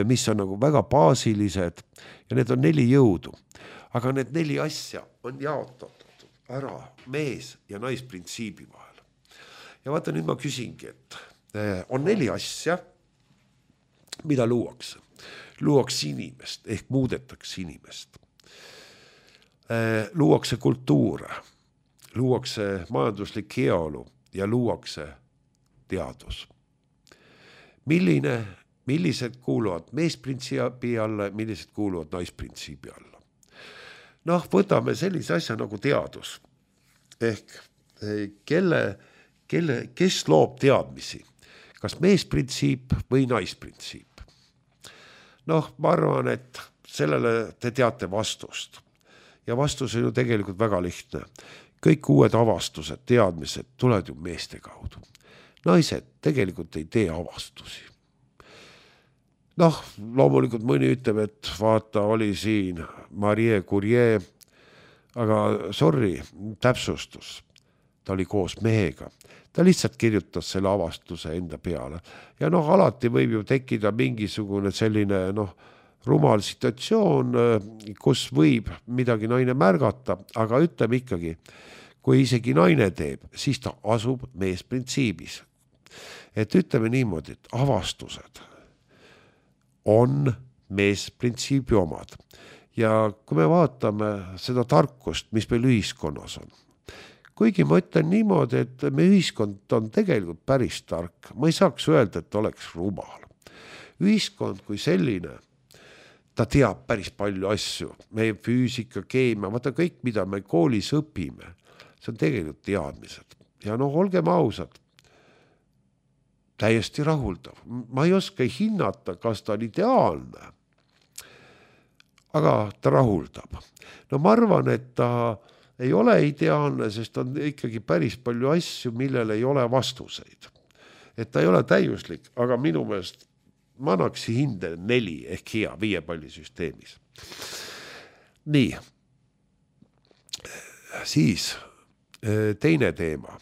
mis on nagu väga baasilised ja need on neli jõudu. Aga need neli asja on jaotatud ära mees- ja naisprintsiibi vahel. Ja vaata, nüüd ma küsingi, et on neli asja, mida luuakse. Luuakse inimest ehk muudetakse inimest. Luuakse kultuure, luuakse majanduslik heaolu ja luuakse teadus. Milline Millised kuuluvad meesprintsiibi alla, millised kuuluvad naisprintsiibi alla. Noh, võtame sellise asja nagu teadus. Ehk kelle, kelle, kes loob teadmisi? Kas meesprintsiip või naisprintsiip? Noh, ma arvan, et sellele te teate vastust. Ja vastus on ju tegelikult väga lihtne. Kõik uued avastused, teadmised tulevad ju meeste kaudu. Naised tegelikult ei tee avastusi. Noh, loomulikult mõni ütleb, et vaata, oli siin Marie Curie, aga sorry, täpsustus. Ta oli koos mehega. Ta lihtsalt kirjutas selle avastuse enda peale. Ja noh, alati võib ju tekkida mingisugune selline noh, rumal situatsioon, kus võib midagi naine märgata, aga ütleme ikkagi, kui isegi naine teeb, siis ta asub meesprintsiibis. Et ütleme niimoodi, et avastused on meesprintsiibi omad. Ja kui me vaatame seda tarkust, mis meil ühiskonnas on, kuigi ma ütlen niimoodi, et meie ühiskond on tegelikult päris tark, ma ei saaks öelda, et oleks rumal. Ühiskond kui selline, ta teab päris palju asju, meie füüsika, keemia, vaata kõik, mida me koolis õpime, see on tegelikult teadmised. Ja noh, olgem ausad, täiesti rahuldav. Ma ei oska hinnata, kas ta on ideaalne, aga ta rahuldab. No ma arvan, et ta ei ole ideaalne, sest on ikkagi päris palju asju, millel ei ole vastuseid. Et ta ei ole täiuslik, aga minu meelest ma annaks hinde neli ehk hea viiepallisüsteemis. Nii, siis teine teema,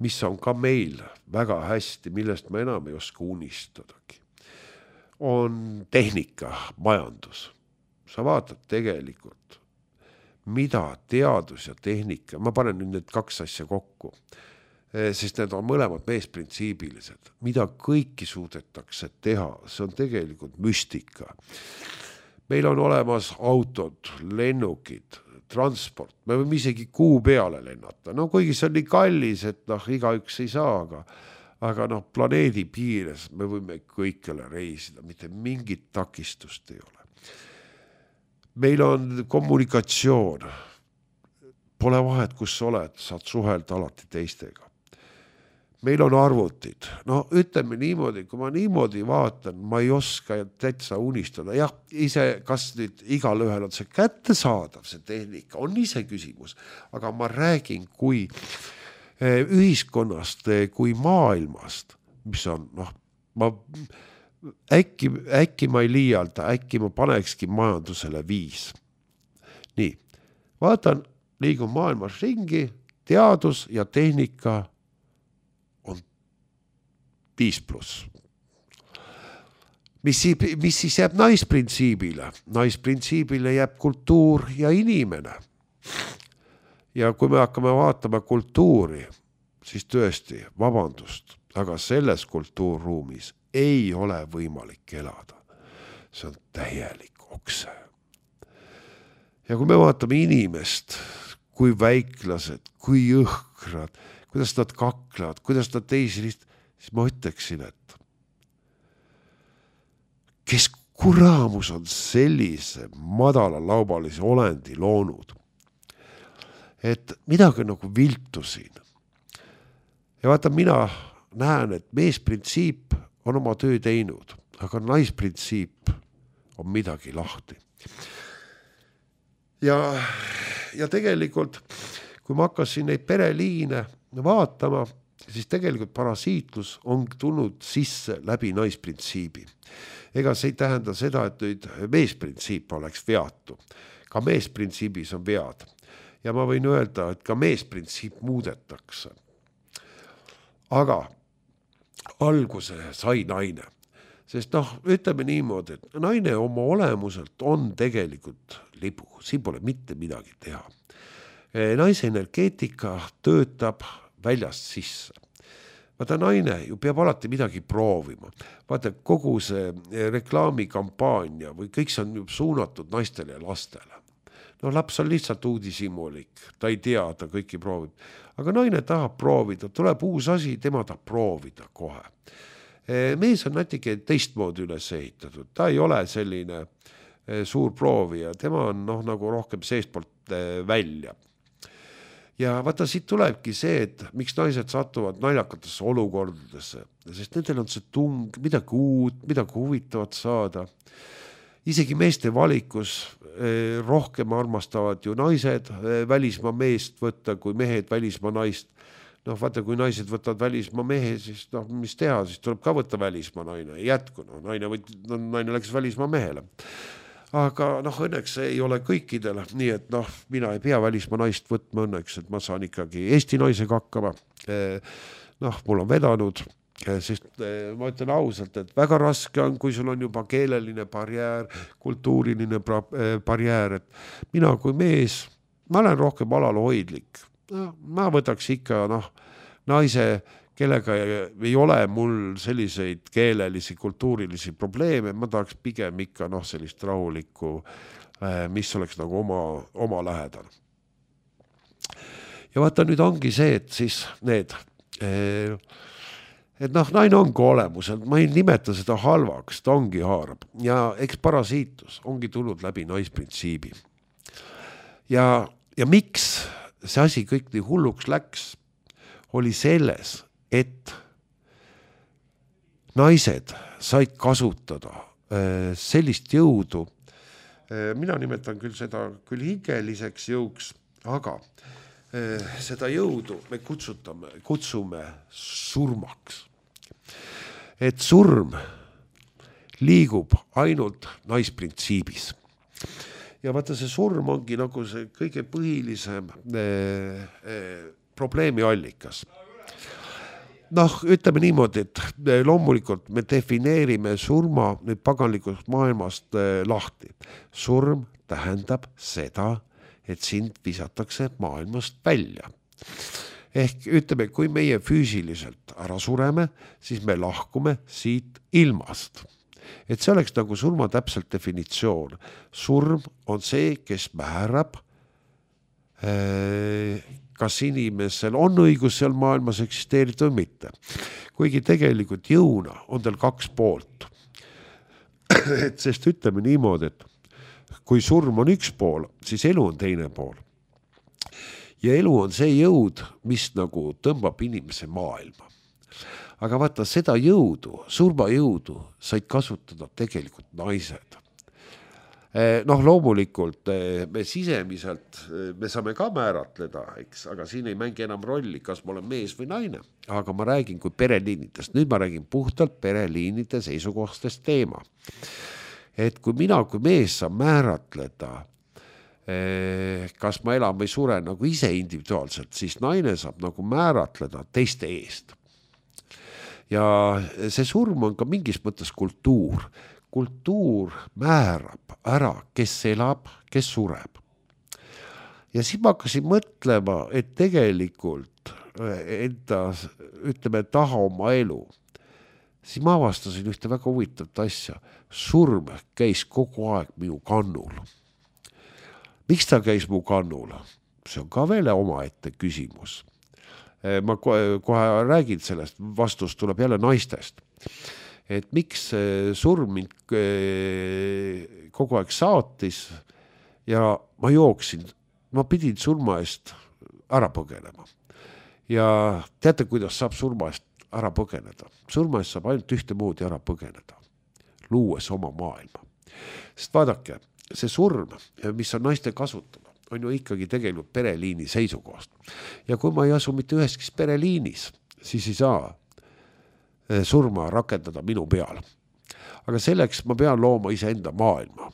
mis on ka meil väga hästi, millest ma enam ei oska unistadagi, on tehnika, majandus. Sa vaatad tegelikult, mida teadus ja tehnika, ma panen nüüd need kaks asja kokku, sest need on mõlemad meesprintsiibilised, mida kõiki suudetakse teha, see on tegelikult müstika. Meil on olemas autod, lennukid, transport, me võime isegi kuu peale lennata. No kuigi see on nii kallis, et noh, igaüks ei saa, aga, aga noh, planeedi piires me võime kõikjale reisida, mitte mingit takistust ei ole. Meil on kommunikatsioon, pole vahet, kus sa oled, saad suhelda alati teistega. Meil on arvutid, no ütleme niimoodi, kui ma niimoodi vaatan, ma ei oska täitsa unistada. Jah, ise, kas nüüd igal ühel on see kättesaadav, see tehnika, on ise küsimus, aga ma räägin kui ühiskonnast, kui maailmast, mis on, noh, ma äkki, äkki ma ei liialda, äkki ma panekski majandusele viis. Nii, vaatan, liigun maailmas ringi, teadus ja tehnika on viis pluss. Mis, mis siis jääb naisprintsiibile? Naisprintsiibile jääb kultuur ja inimene. Ja kui me hakkame vaatama kultuuri, siis tõesti, vabandust, aga selles kultuurruumis ei ole võimalik elada. See on täielik okse. Ja kui me vaatame inimest, kui väiklased, kui õhkrad, kuidas nad kaklevad, kuidas nad teisi list, siis ma ütleksin, et kes kuraamus on sellise madala laubalise olendi loonud, et midagi nagu viltu siin. Ja vaata, mina näen, et meesprintsiip on oma töö teinud, aga naisprintsiip on midagi lahti. Ja, ja tegelikult, kui ma hakkasin neid pereliine vaatama, siis tegelikult parasiitlus on tulnud sisse läbi naisprintsiibi. Ega see ei tähenda seda, et nüüd meesprintsiip oleks veatu. Ka meesprintsiibis on vead. Ja ma võin öelda, et ka meesprintsiip muudetakse. Aga alguse sai naine. Sest noh, ütleme niimoodi, et naine oma olemuselt on tegelikult libu. Siin pole mitte midagi teha. Naise energeetika töötab väljast sisse. Vaata, naine ju peab alati midagi proovima. Vaata, kogu see reklaamikampaania või kõik see on suunatud naistele ja lastele. No laps on lihtsalt uudishimulik, ta ei tea, ta kõiki proovib. Aga naine tahab proovida, tuleb uus asi, tema tahab proovida kohe. Mees on natuke teistmoodi üles ehitatud, ta ei ole selline suur proovija, tema on noh, nagu rohkem seestpoolt välja. Ja vaata, siit tulebki see, et miks naised satuvad naljakatesse olukordadesse, sest nendel on see tung, midagi uut, midagi huvitavat saada. Isegi meeste valikus eh, rohkem armastavad ju naised eh, välismaa meest võtta, kui mehed välismaa naist. Noh, vaata, kui naised võtavad välismaa mehe, siis noh, mis teha, siis tuleb ka võtta välismaa naine. Ei jätku, no, naine, võt, no, naine läks välismaa mehele. Aga noh, õnneks ei ole kõikidele, nii et noh, mina ei pea välismaa naist võtma õnneks, et ma saan ikkagi Eesti naisega hakkama. Noh, mul on vedanud, sest ma ütlen ausalt, et väga raske on, kui sul on juba keeleline barjäär, kultuuriline barjäär, et mina kui mees, ma olen rohkem alalhoidlik. No, ma võtaks ikka noh, naise, kellega ei ole mul selliseid keelelisi, kultuurilisi probleeme, ma tahaks pigem ikka noh, sellist rahulikku, mis oleks nagu oma, oma lähedal. Ja vaata, nüüd ongi see, et siis need, et noh, naine ongi olemusel, ma ei nimeta seda halvaks, ta ongi haarab. Ja eks parasiitus ongi tulnud läbi naisprintsiibi. Ja, ja miks see asi kõik nii hulluks läks, oli selles, et naised said kasutada sellist jõudu, mina nimetan küll seda küll hingeliseks jõuks, aga seda jõudu me kutsutame, kutsume surmaks. Et surm liigub ainult naisprintsiibis. Ja vaata, see surm ongi nagu see kõige põhilisem eh, eh, probleemi allikas. Noh, ütleme niimoodi, et loomulikult me defineerime surma nüüd paganlikust maailmast eh, lahti. Surm tähendab seda, et sind visatakse maailmast välja. Ehk ütleme, kui meie füüsiliselt ära sureme, siis me lahkume siit ilmast. Et see oleks nagu surma täpselt definitsioon. Surm on see, kes määrab, kas inimesel on õigus seal maailmas eksisteerida või mitte. Kuigi tegelikult jõuna on tal kaks poolt. Et sest ütleme niimoodi, et kui surm on üks pool, siis elu on teine pool. Ja elu on see jõud, mis nagu tõmbab inimese maailma. Aga vaata, seda jõudu, surma jõudu said kasutada tegelikult naised. Noh, loomulikult me sisemiselt, me saame ka määratleda, eks, aga siin ei mängi enam rolli, kas ma olen mees või naine. Aga ma räägin kui pereliinidest. Nüüd ma räägin puhtalt pereliinide seisukohtest teema. Et kui mina kui mees saan määratleda kas ma elan või suren nagu ise individuaalselt, siis naine saab nagu määratleda teiste eest. Ja see surm on ka mingis mõttes kultuur. Kultuur määrab ära, kes elab, kes sureb. Ja siis ma hakkasin mõtlema, et tegelikult enda, ütleme, taha oma elu. Siis ma avastasin ühte väga huvitavat asja. Surm käis kogu aeg minu kannul. Miks ta käis mu kannul? See on ka veel omaette küsimus. Ma kohe räägin sellest, vastus tuleb jälle naistest. Et miks surm mind kogu aeg saatis ja ma jooksin, ma pidin surma eest ära põgenema. Ja teate, kuidas saab surma eest ära põgeneda? Surma eest saab ainult ühte moodi ära põgeneda, luues oma maailma. Sest vaadake, see surm, mis on naiste kasutama, on ju ikkagi tegelikult pereliini seisukohast. Ja kui ma ei asu mitte üheskis pereliinis, siis ei saa surma rakendada minu peal. Aga selleks ma pean looma iseenda maailma.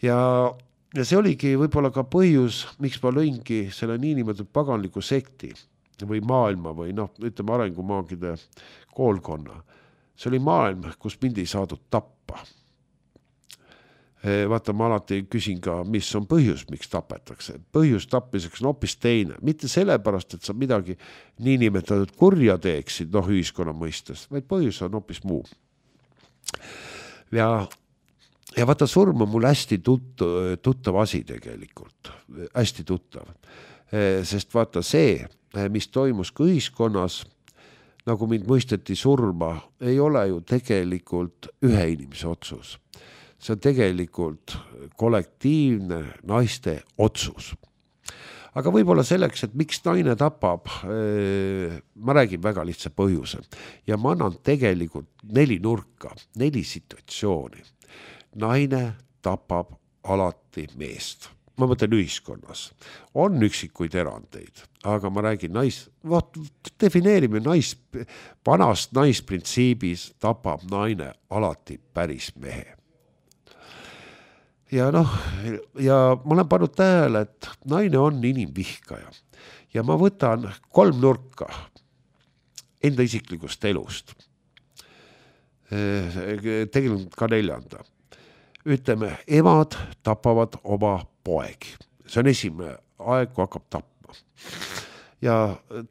Ja, ja see oligi võib-olla ka põhjus, miks ma lõingi selle niinimetatud paganliku sekti või maailma või noh, ütleme arengumaagide koolkonna. See oli maailm, kus mind ei saadud tappa. Vaata, ma alati küsin ka, mis on põhjus, miks tapetakse. Põhjus tapmiseks on hoopis teine. Mitte sellepärast, et sa midagi niinimetatud kurja teeksid, noh, ühiskonna mõistes, vaid põhjus on hoopis muu. Ja, ja vaata, surm on mul hästi tut, tuttav asi tegelikult. Hästi tuttav. Sest vaata see, mis toimus ka ühiskonnas, nagu mind mõisteti surma, ei ole ju tegelikult ühe inimese otsus. See on tegelikult kollektiivne naiste otsus. Aga võib-olla selleks, et miks naine tapab, ma räägin väga lihtsa põhjuse. Ja ma annan tegelikult neli nurka, neli situatsiooni. Naine tapab alati meest. Ma mõtlen ühiskonnas. On üksikuid erandeid, aga ma räägin nais, vaat, defineerime nais, vanast naisprintsiibis tapab naine alati päris mehe. Ja noh, ja ma olen pannud tähele, et naine on inimvihkaja ja ma võtan kolm nurka enda isiklikust elust. Tegelikult ka neljanda. Ütleme, emad tapavad oma poegi. See on esimene aeg, kui hakkab tapma. Ja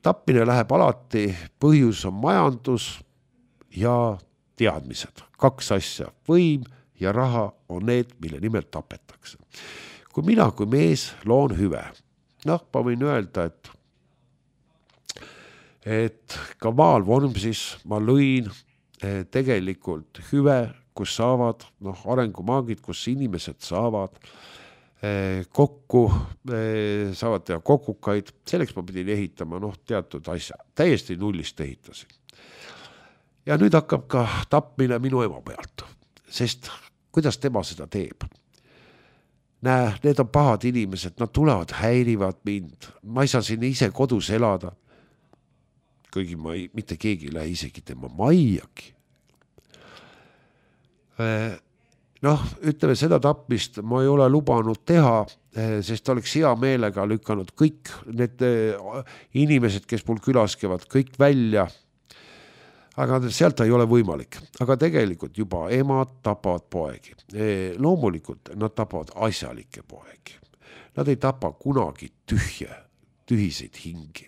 tapmine läheb alati, põhjus on majandus ja teadmised. Kaks asja, võim ja raha on need, mille nimel tapetakse. Kui mina kui mees loon hüve, noh, ma võin öelda, et, et ka maal Vormsis ma lõin tegelikult hüve, kus saavad noh, arengumaagid, kus inimesed saavad kokku, saavad teha kokukaid, selleks ma pidin ehitama noh, teatud asja, täiesti nullist ehitasin. Ja nüüd hakkab ka tapmine minu ema pealt, sest kuidas tema seda teeb? Näe, need on pahad inimesed, nad tulevad, häirivad mind. Ma ei saa siin ise kodus elada. Kõigi ma ei, mitte keegi ei lähe isegi tema maiaki. Noh, ütleme seda tapmist ma ei ole lubanud teha, sest oleks hea meelega lükanud kõik need inimesed, kes mul külas käivad, kõik välja. Aga sealt ei ole võimalik. Aga tegelikult juba emad tapavad poegi. Loomulikult nad tapavad asjalikke poegi. Nad ei tapa kunagi tühje, tühiseid hingi.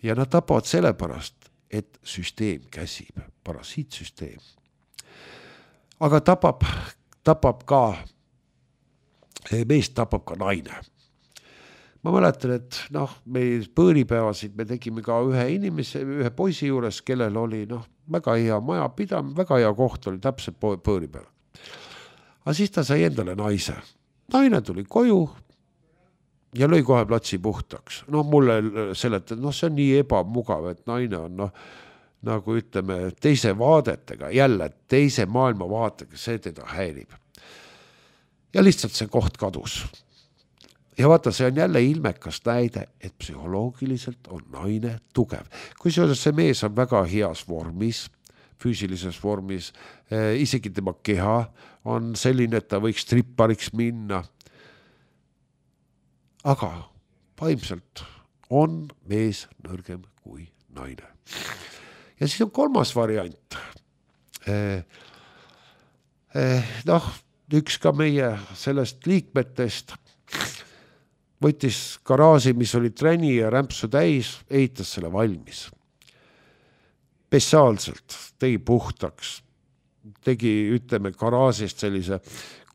Ja nad tapavad sellepärast, et süsteem käsib, parasiitsüsteem. Aga tapab, tapab ka, meest tapab ka naine. Ma mäletan, et noh, meil põõripäevasid me tegime ka ühe inimese, ühe poisi juures, kellel oli noh, väga hea maja pidam, väga hea koht oli täpselt põõripäev. Aga siis ta sai endale naise. Naine tuli koju ja lõi kohe platsi puhtaks. No mulle seleta, noh, see on nii ebamugav, et naine on noh, nagu ütleme, teise vaadetega, jälle teise maailma vaatega, see teda häirib. Ja lihtsalt see koht kadus. Ja vaata, see on jälle ilmekas näide, et psühholoogiliselt on naine tugev. Kui see mees on väga heas vormis, füüsilises vormis, isegi tema keha on selline, et ta võiks trippariks minna, aga vaimselt on mees nõrgem kui naine. Ja siis on kolmas variant. Eh, eh, noh, üks ka meie sellest liikmetest võttis garaaži, mis oli träni ja rämpsu täis, ehitas selle valmis. Spetsiaalselt tegi puhtaks, tegi, ütleme, garaažist sellise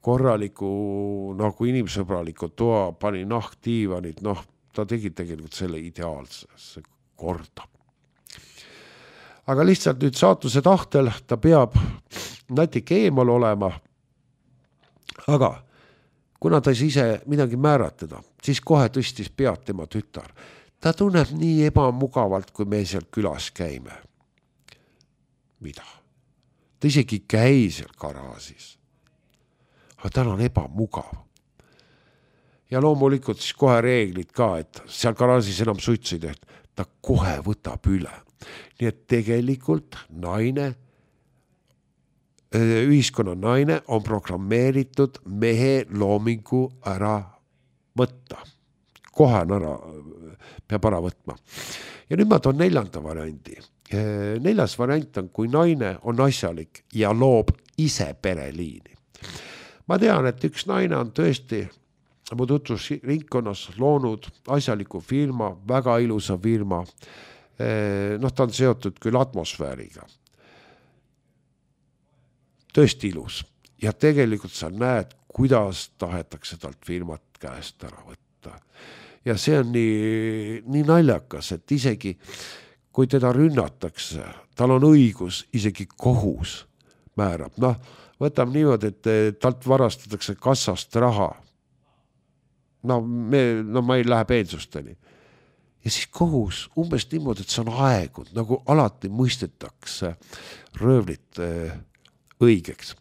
korraliku, nagu inimsõbraliku toa, pani nahkdiivanid, noh, ta tegi tegelikult selle ideaalse korda. Aga lihtsalt nüüd saatuse tahtel ta peab natuke eemal olema, aga kuna ta ise midagi määratleda, siis kohe tõstis pead tema tütar. Ta tunneb nii ebamugavalt, kui me seal külas käime. Mida? Ta isegi käi seal garaažis. Aga tal on ebamugav. Ja loomulikult siis kohe reeglid ka, et seal garaažis enam suitsu ei tehta. Ta kohe võtab üle. Nii et tegelikult naine, ühiskonna naine on programmeeritud mehe loomingu ära võtta. Kohe on ära, peab ära võtma. Ja nüüd ma toon neljanda variandi. Neljas variant on, kui naine on asjalik ja loob ise pereliini. Ma tean, et üks naine on tõesti mu tutvus ringkonnas loonud asjaliku firma, väga ilusa firma. Noh, ta on seotud küll atmosfääriga. Tõesti ilus. Ja tegelikult sa näed, kuidas tahetakse talt firmat käest ära võtta. Ja see on nii, nii naljakas, et isegi kui teda rünnatakse, tal on õigus, isegi kohus määrab. Noh, võtame niimoodi, et talt varastatakse kassast raha. No, me, no ma ei lähe peensusteni. Ja siis kohus umbes niimoodi, et see on aegunud, nagu alati mõistetakse röövlit õigeks.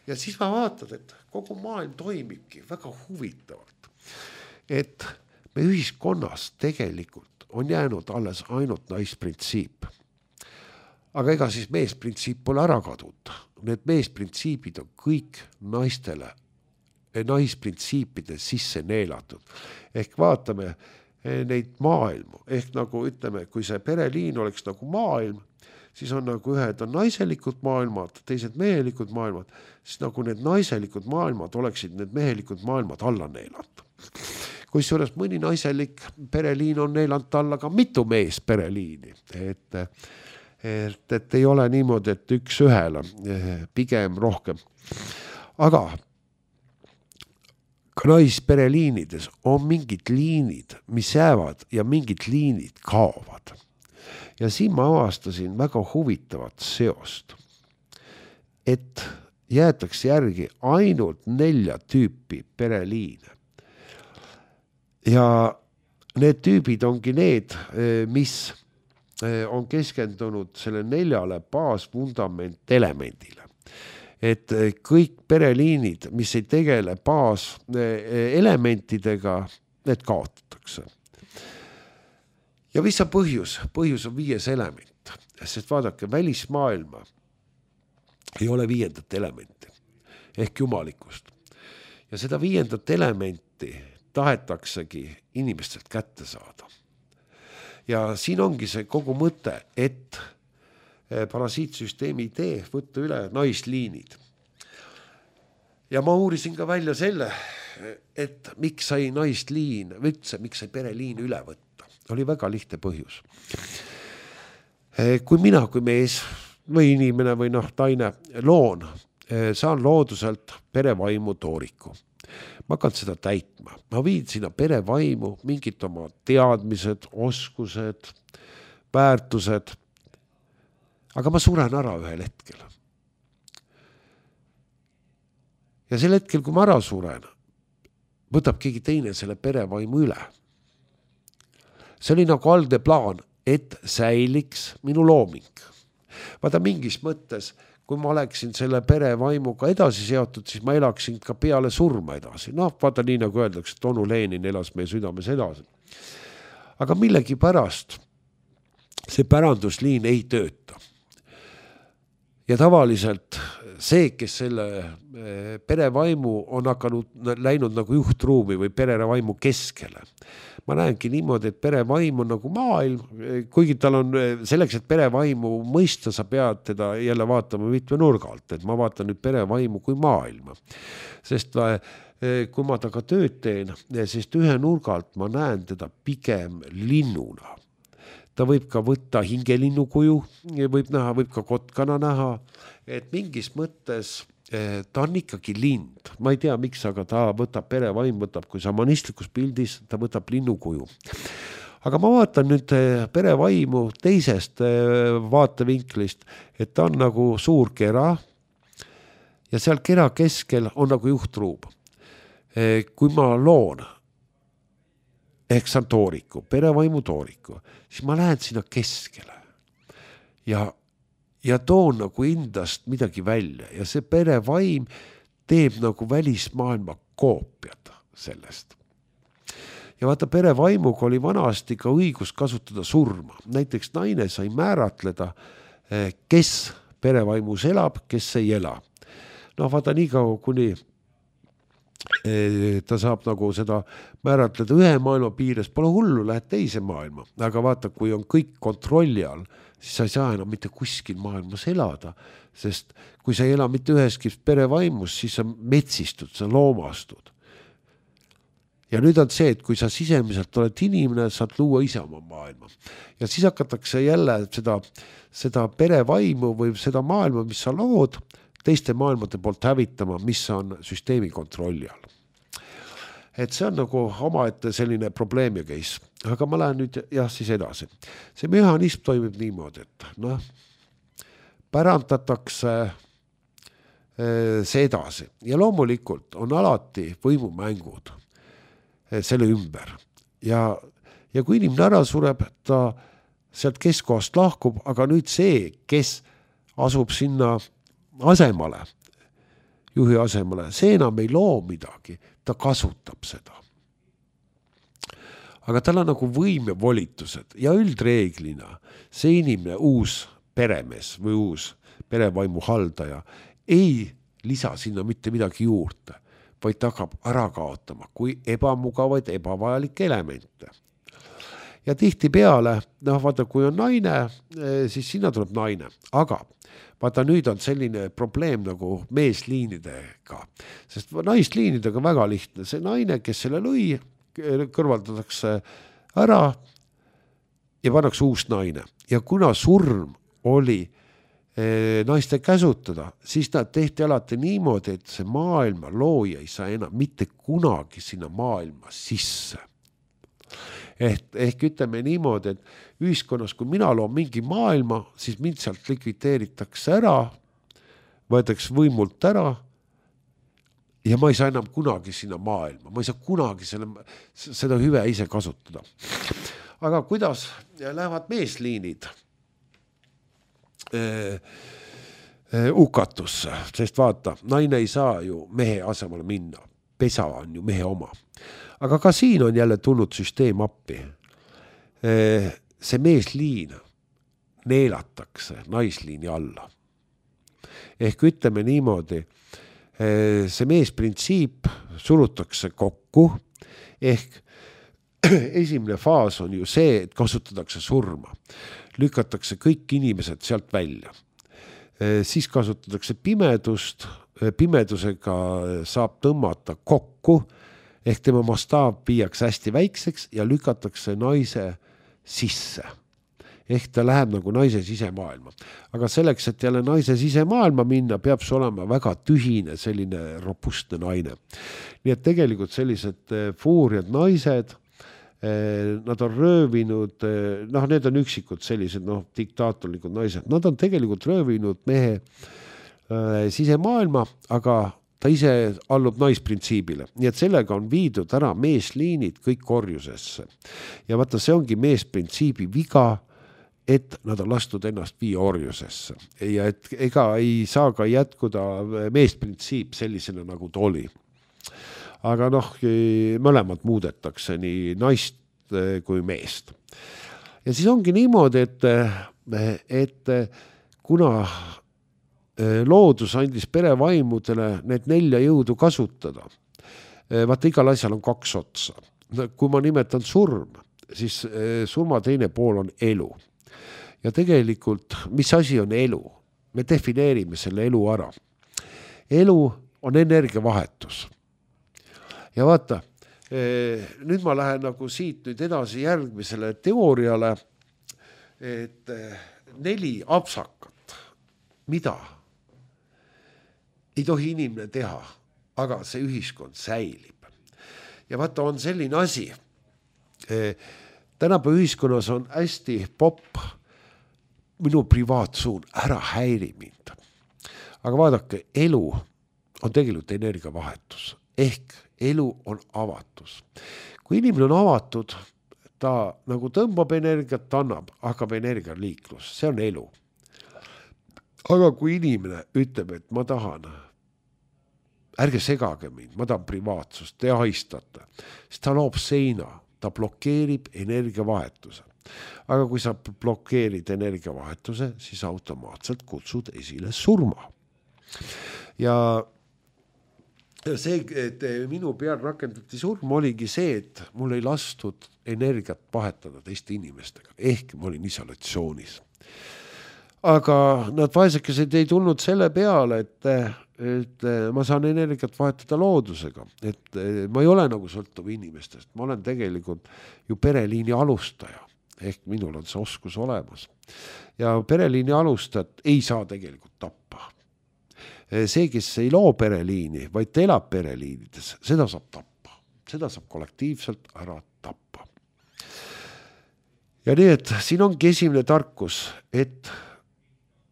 Ja siis ma vaatan, et kogu maailm toimibki väga huvitavalt. Et me ühiskonnas tegelikult on jäänud alles ainult naisprintsiip. Aga ega siis meesprintsiip pole ära kadunud. Need meesprintsiipid on kõik naistele naisprintsiipide sisse neelatud. Ehk vaatame neid maailmu. Ehk nagu ütleme, kui see pereliin oleks nagu maailm, siis on nagu ühed on naiselikud maailmad, teised mehelikud maailmad, siis nagu need naiselikud maailmad oleksid need mehelikud maailmad alla neelatud. Kui suures mõni naiselik pereliin on neelant alla ka mitu mees pereliini. Et, et, et ei ole niimoodi, et üks ühele, pigem rohkem. Aga ka naispereliinides on mingid liinid, mis jäävad ja mingid liinid kaovad. Ja siin ma avastasin väga huvitavat seost, et jäetakse järgi ainult nelja tüüpi pereliine. Ja need tüübid ongi need, mis on keskendunud selle neljale baasvundament elemendile. Et kõik pereliinid, mis ei tegele baas elementidega, need kaotatakse. Ja mis on põhjus? Põhjus on viies element. Sest vaadake, välismaailma ei ole viiendat elementi ehk jumalikust. Ja seda viiendat elementi tahetaksegi inimestelt kätte saada. Ja siin ongi see kogu mõte, et parasiitsüsteemi idee võtta üle naisliinid. Ja ma uurisin ka välja selle, et miks sai naisliin, üldse, miks sai pereliin üle võtta. Oli väga lihtne põhjus. Kui mina, kui mees või inimene või noh, taine loon, saan looduselt perevaimu tooriku. Ma hakkan seda täitma. Ma viin sinna perevaimu mingid oma teadmised, oskused, väärtused, aga ma suren ära ühel hetkel. Ja sel hetkel, kui ma ära suren, võtab keegi teine selle perevaimu üle. See oli nagu algne plaan, et säiliks minu looming. Vaata mingis mõttes, kui ma oleksin selle perevaimuga edasi seotud, siis ma elaksin ka peale surma edasi. Noh, vaata nii nagu öeldakse, et Onu Lenin elas meie südames edasi. Aga millegi pärast see pärandusliin ei tööta. Ja tavaliselt see, kes selle perevaimu on hakanud läinud nagu juhtruumi või perevaimu keskele. Ma näengi niimoodi, et perevaim on nagu maailm, kuigi tal on selleks, et perevaimu mõista, sa pead teda jälle vaatama mitme nurga alt, et ma vaatan nüüd perevaimu kui maailma. Sest kui ma taga tööd teen, sest ühe nurga alt ma näen teda pigem linnuna. Ta võib ka võtta hingelinnu kuju, võib näha, võib ka kotkana näha, et mingis mõttes ta on ikkagi lind. Ma ei tea, miks, aga ta võtab, perevaim võtab, kui samanistlikus pildis, ta võtab linnu kuju. Aga ma vaatan nüüd perevaimu teisest vaatevinklist, et ta on nagu suur kera ja seal kera keskel on nagu juhtruum. Kui ma loon, ehk see on tooriku, perevaimu tooriku, siis ma lähen sinna keskele ja, ja toon nagu endast midagi välja ja see perevaim teeb nagu välismaailma koopiad sellest. Ja vaata, perevaimuga oli vanasti ka õigus kasutada surma. Näiteks naine sai määratleda, kes perevaimus elab, kes ei ela. No vaata, nii kaua kuni ta saab nagu seda määratleda ühe maailma piires, pole hullu, lähed teise maailma. Aga vaata, kui on kõik kontrolli all, siis sa ei saa enam mitte kuskil maailmas elada, sest kui sa ei ela mitte üheski perevaimus, siis sa metsistud, sa loomastud. Ja nüüd on see, et kui sa sisemiselt oled inimene, saad luua ise oma maailma. Ja siis hakatakse jälle seda, seda perevaimu või seda maailma, mis sa lood, teiste maailmade poolt hävitama, mis on süsteemi kontrolli all. Et see on nagu omaette selline probleem ja case. Aga ma lähen nüüd jah siis edasi. See mehhanism toimib niimoodi, et noh, pärandatakse see edasi. Ja loomulikult on alati võimumängud selle ümber. Ja, ja kui inimene ära sureb, ta sealt keskkohast lahkub, aga nüüd see, kes asub sinna asemale, juhi asemale, see enam ei loo midagi, ta kasutab seda. Aga tal on nagu võim ja volitused ja üldreeglina see inimene, uus peremees või uus perevaimu haldaja ei lisa sinna mitte midagi juurde, vaid ta hakkab ära kaotama kui ebamugavaid, ebavajalikke elemente. Ja tihti peale, noh vaata, kui on naine, siis sinna tuleb naine, aga vaata, nüüd on selline probleem nagu meesliinidega, sest naisliinidega väga lihtne. See naine, kes selle lõi, kõrvaldatakse ära ja pannakse uus naine. Ja kuna surm oli eh, naiste käsutada, siis nad tehti alati niimoodi, et see maailma looja ei saa enam mitte kunagi sinna maailma sisse. Ehk, ehk ütleme niimoodi, et ühiskonnas, kui mina loon mingi maailma, siis mind sealt likvideeritakse ära, võetakse võimult ära ja ma ei saa enam kunagi sinna maailma. Ma ei saa kunagi selle, seda hüve ise kasutada. Aga kuidas lähevad meesliinid eh, eh, ukatusse? Sest vaata, naine ei saa ju mehe asemale minna. Pesa on ju mehe oma. Aga ka siin on jälle tulnud süsteem appi. See meesliin neelatakse naisliini alla. Ehk ütleme niimoodi, see meesprintsiip surutakse kokku, ehk esimene faas on ju see, et kasutatakse surma. Lükatakse kõik inimesed sealt välja. Siis kasutatakse pimedust, pimedusega saab tõmmata kokku, ehk tema mastaab viiaks hästi väikseks ja lükatakse naise sisse. Ehk ta läheb nagu naise sisemaailma. Aga selleks, et jälle naise sisemaailma minna, peab see olema väga tühine, selline robustne naine. Nii et tegelikult sellised fuuriad naised, nad on röövinud, noh, need on üksikud sellised, noh, diktaatorlikud naised. Nad on tegelikult röövinud mehe sisemaailma, aga ta ise allub naisprintsiibile. Nii et sellega on viidud ära meesliinid kõik korjusesse. Ja vaata, see ongi meesprintsiibi viga, et nad on lastud ennast viia orjusesse. Ja et ega ei saa ka jätkuda meesprintsiip sellisena, nagu ta oli. Aga noh, mõlemad muudetakse nii naist kui meest. Ja siis ongi niimoodi, et, et kuna loodus andis perevaimudele need nelja jõudu kasutada. Vaata, igal asjal on kaks otsa. Kui ma nimetan surm, siis surma teine pool on elu. Ja tegelikult, mis asi on elu? Me defineerime selle elu ära. Elu on energiavahetus. Ja vaata, nüüd ma lähen nagu siit nüüd edasi järgmisele teooriale, et neli apsakat, mida ei tohi inimene teha, aga see ühiskond säilib. Ja vaata, on selline asi, tänapäeva ühiskonnas on hästi popp minu privaatsuun, ära häiri mind. Aga vaadake, elu on tegelikult energiavahetus, ehk elu on avatus. Kui inimene on avatud, ta nagu tõmbab energiat, annab, hakkab energialiiklus, see on elu. Aga kui inimene ütleb, et ma tahan, ärge segage mind, ma tahan privaatsust, te ahistate, siis ta loob seina, ta blokeerib energiavahetuse. Aga kui sa blokeerid energiavahetuse, siis automaatselt kutsud esile surma. Ja see, et minu peal rakendati surm, oligi see, et mul ei lastud energiat vahetada teiste inimestega, ehk ma olin isolatsioonis. Aga nad vaesekesed ei tulnud selle peale, et, et ma saan energiat vahetada loodusega, et ma ei ole nagu sõltuv inimestest, ma olen tegelikult ju pereliini alustaja, ehk minul on see oskus olemas. Ja pereliini alustajat ei saa tegelikult tappa. See, kes ei loo pereliini, vaid ta elab pereliinides, seda saab tappa. Seda saab kollektiivselt ära tappa. Ja nii, et siin ongi esimene tarkus, et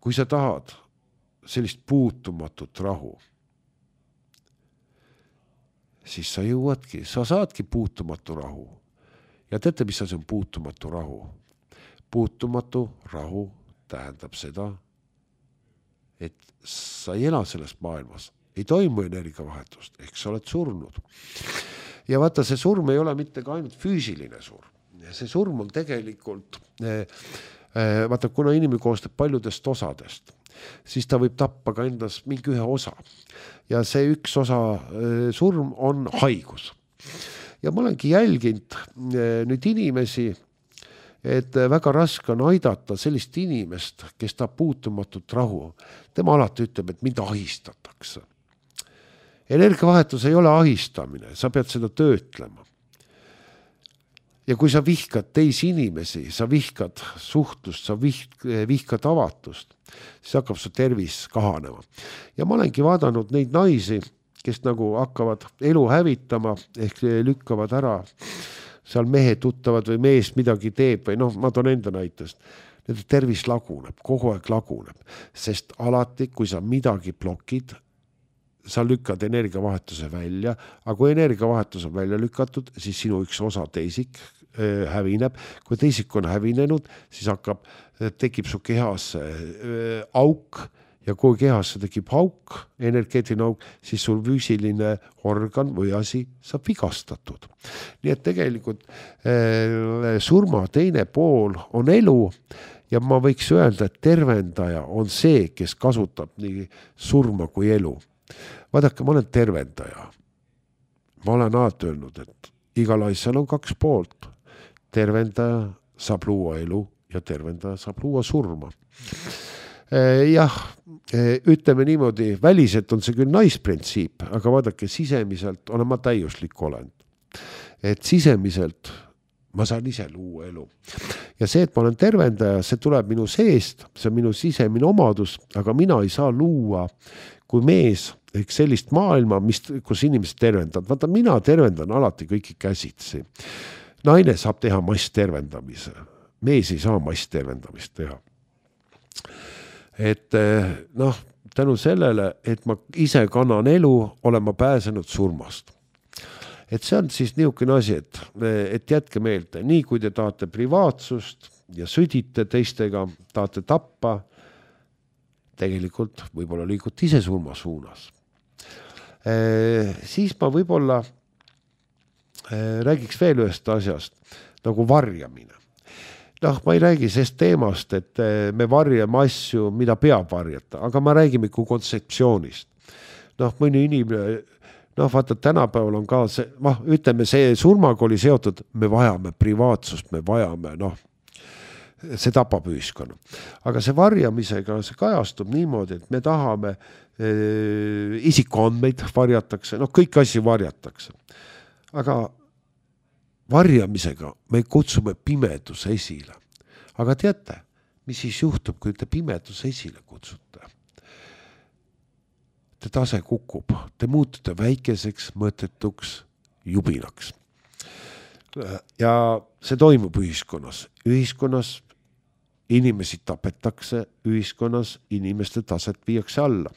kui sa tahad sellist puutumatut rahu, siis sa jõuadki, sa saadki puutumatu rahu. Ja teate, mis see on puutumatu rahu? Puutumatu rahu tähendab seda, et sa ei ela selles maailmas, ei toimu energiavahetust, ehk sa oled surnud. Ja vaata, see surm ei ole mitte ka ainult füüsiline surm. See surm on tegelikult, vaata, kuna inimene koostab paljudest osadest, siis ta võib tappa ka endas mingi ühe osa. Ja see üks osa surm on haigus. Ja ma olengi jälginud nüüd inimesi, et väga raske on aidata sellist inimest, kes tahab puutumatut rahu. Tema alati ütleb, et mind ahistatakse. Energiavahetus ei ole ahistamine, sa pead seda töötlema. Ja kui sa vihkad teisi inimesi, sa vihkad suhtlust, sa vihkad avatust, siis hakkab su tervis kahanema. Ja ma olengi vaadanud neid naisi, kes nagu hakkavad elu hävitama, ehk lükkavad ära seal mehe tuttavad või mees midagi teeb või noh, ma toon enda näitest. Nende tervis laguneb, kogu aeg laguneb, sest alati, kui sa midagi blokid, sa lükkad energiavahetuse välja, aga kui energiavahetus on välja lükatud, siis sinu üks osa teisik äh, hävineb. Kui teisik on hävinenud, siis hakkab, tekib su kehas äh, auk, ja kui kehasse tekib auk, energeetiline auk, siis sul füüsiline organ või asi saab vigastatud. Nii et tegelikult äh, surma teine pool on elu ja ma võiks öelda, et tervendaja on see, kes kasutab nii surma kui elu. Vaadake, ma olen tervendaja. Ma olen alati öelnud, et igal asjal on kaks poolt. Tervendaja saab luua elu ja tervendaja saab luua surma. Jah, ütleme niimoodi, väliselt on see küll naisprintsiip, aga vaadake, sisemiselt olen ma täiuslik olend. Et sisemiselt ma saan ise luua elu. Ja see, et ma olen tervendaja, see tuleb minu seest, see on minu sisemine omadus, aga mina ei saa luua kui mees ehk sellist maailma, mis, kus inimesed tervendavad. Vaata, mina tervendan alati kõiki käsitsi. Naine saab teha mass tervendamise. Mees ei saa mass tervendamist teha. Et noh, tänu sellele, et ma ise kannan elu, olen ma pääsenud surmast. Et see on siis niisugune asi, et, et jätke meelde, nii kui te tahate privaatsust ja südite teistega, tahate tappa, tegelikult võib-olla liigud ise surma suunas. E, siis ma võib-olla e, räägiks veel ühest asjast, nagu varjamine. noh, ma ei räägi sellest teemast, et me varjame asju, mida peab varjata, aga ma räägime kui kontseptsioonist. Noh, mõni inimene, noh, vaata, tänapäeval on ka see, noh, ütleme, see surmaga oli seotud, me vajame privaatsust, me vajame, noh, see tapab ühiskonna. Aga see varjamisega, see kajastub niimoodi, et me tahame eh, isikuandmeid varjatakse, noh, kõik asju varjatakse. Aga varjamisega me kutsume pimeduse esile. Aga teate, mis siis juhtub, kui te pimeduse esile kutsute? Te tase kukub, te muutute väikeseks, mõttetuks, jubinaks. Ja see toimub ühiskonnas. Ühiskonnas inimesi tapetakse, ühiskonnas inimeste taset viiakse alla.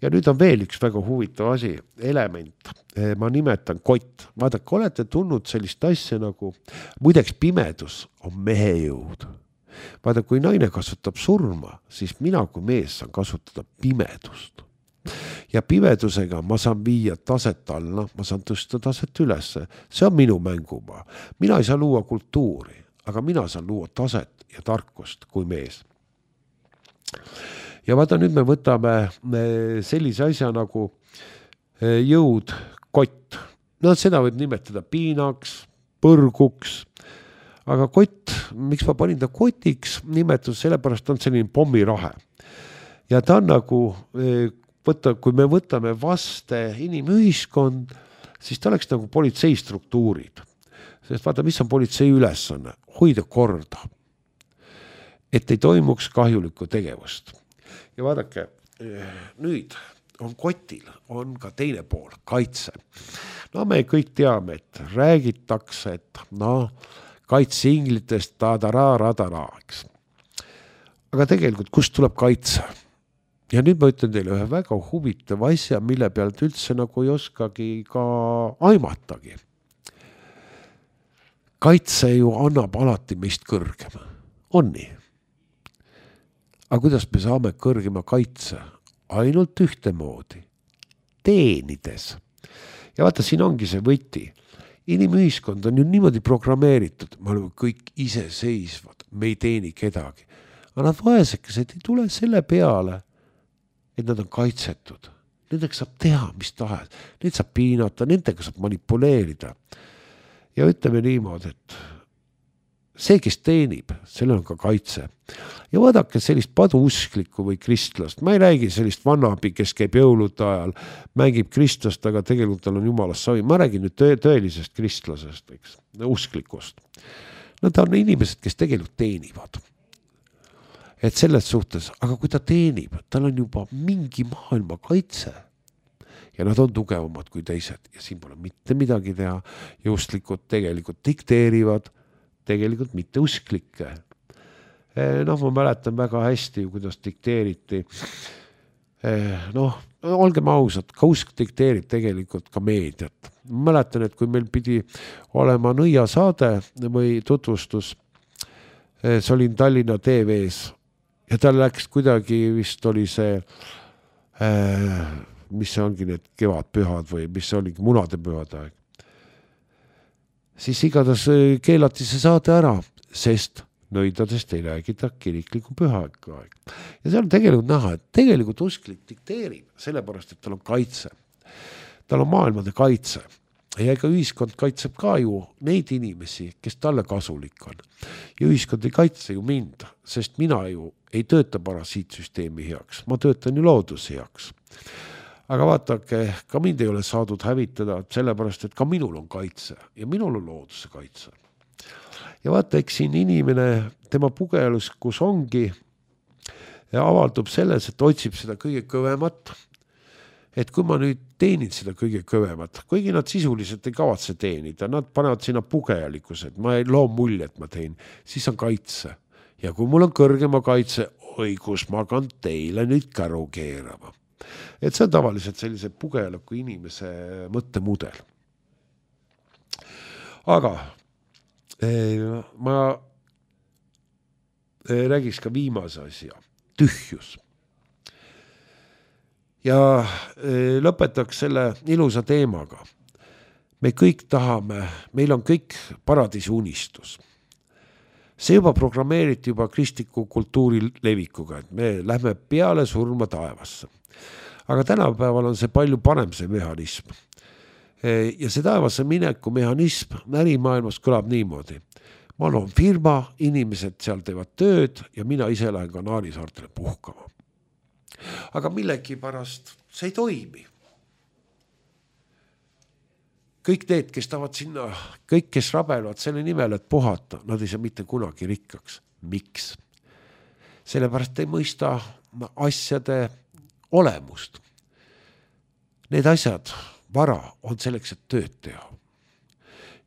Ja nüüd on veel üks väga huvitav asi, element, ma nimetan kott. Vaadake, olete tulnud sellist asja nagu, muideks pimedus on mehe jõud. Vaadake, kui naine kasutab surma, siis mina kui mees saan kasutada pimedust. Ja pimedusega ma saan viia taset alla, ma saan tõsta taset ülesse. See on minu mängumaa. Mina ei saa luua kultuuri, aga mina saan luua taset ja tarkust kui mees. Ja vaata, nüüd me võtame sellise asja nagu jõud, kott. No seda võib nimetada piinaks, põrguks, aga kott, miks ma panin ta kotiks, nimetus sellepärast on selline pommirahe. Ja ta on nagu, võtta, kui me võtame vaste inimühiskond, siis ta oleks nagu politsei struktuurid. Sest vaata, mis on politsei ülesanne? Hoida korda, et ei toimuks kahjulikku tegevust. Ja vaadake, nüüd on kotil, on ka teine pool, kaitse. No me kõik teame, et räägitakse, et no, kaitse inglitest tadara-radara-eks. Aga tegelikult, kust tuleb kaitse? Ja nüüd ma ütlen teile ühe väga huvitav asja, mille pealt üldse nagu ei oskagi ka aimatagi. Kaitse ju annab alati meist kõrgema. On nii? Aga kuidas me saame kõrgema kaitse? Ainult ühtemoodi. Teenides. Ja vaata, siin ongi see võti. Inimühiskond on ju niimoodi programmeeritud. Me oleme kõik iseseisvad. Me ei teeni kedagi. Aga nad vaesekesed ei tule selle peale, et nad on kaitsetud. Nendega saab teha, mis tahes. Neid saab piinata, nendega saab manipuleerida. Ja ütleme niimoodi, et see, kes teenib, sellel on ka kaitse. Ja vaadake sellist paduusklikku või kristlast. Ma ei räägi sellist vannabi, kes käib jõulude ajal, mängib kristlast, aga tegelikult tal on jumalast savi. Ma räägin nüüd tõ- tõelisest kristlasest, eks, usklikust. Nad on inimesed, kes tegelikult teenivad. Et selles suhtes, aga kui ta teenib, tal on juba mingi maailma kaitse. Ja nad on tugevamad kui teised. Ja siin pole mitte midagi teha. Ja usklikud tegelikult dikteerivad, tegelikult mitte usklikke. Noh, ma mäletan väga hästi, kuidas dikteeriti. Noh, olgem ausad, ka usk dikteerib tegelikult ka meediat. Ma mäletan, et kui meil pidi olema nõia saade või tutvustus, see oli Tallinna T V-s ja tal läks kuidagi, vist oli see, mis see ongi need kevadpühad või mis see oligi munade pühade aeg. Siis igatahes keelati see saade ära, sest nõidadest ei räägida kirikliku pühaega aeg. Ja see on tegelikult näha, et tegelikult usklik dikteerib, sellepärast, et tal on kaitse. Tal on maailmade kaitse. Ja ega ühiskond kaitseb ka ju neid inimesi, kes talle kasulik on. Ja ühiskond ei kaitse ju mind, sest mina ju ei tööta parasiitsüsteemi heaks. Ma töötan ju looduse heaks. Aga vaatake, ka mind ei ole saadud hävitada, sellepärast, et ka minul on kaitse ja minul on looduse kaitse. Ja vaata, eks siin inimene, tema pugeluskus ongi ja avaldub selles, et otsib seda kõige kõvemat. Et kui ma nüüd teenin seda kõige kõvemat, kuigi nad sisuliselt ei kavatse teenida, nad panevad sinna pugejalikkused, ma ei loo mulje, et ma teen, siis on kaitse. Ja kui mul on kõrgema kaitse, oi, kus ma kan teile nüüd käru keerama. Et see on tavaliselt sellise pugejaliku inimese mõttemudel. Aga ma räägiks ka viimase asja, tühjus. Ja lõpetaks selle ilusa teemaga. Me kõik tahame, meil on kõik paradiisi unistus. See juba programmeeriti juba kristliku kultuuri levikuga, et me lähme peale surma taevasse. Aga tänapäeval on see palju parem see mehhanism. Ja see taevasse mineku mehhanism ärimaailmas kõlab niimoodi. Ma loon firma, inimesed seal teevad tööd ja mina ise lähen Kanaarisaartele puhkama. Aga millegi pärast see ei toimi. Kõik need, kes tahavad sinna, kõik, kes rabelevad selle nimel, et puhata, nad ei saa mitte kunagi rikkaks. Miks? Sellepärast ei mõista asjade olemust. Need asjad, vara on selleks, et tööd teha.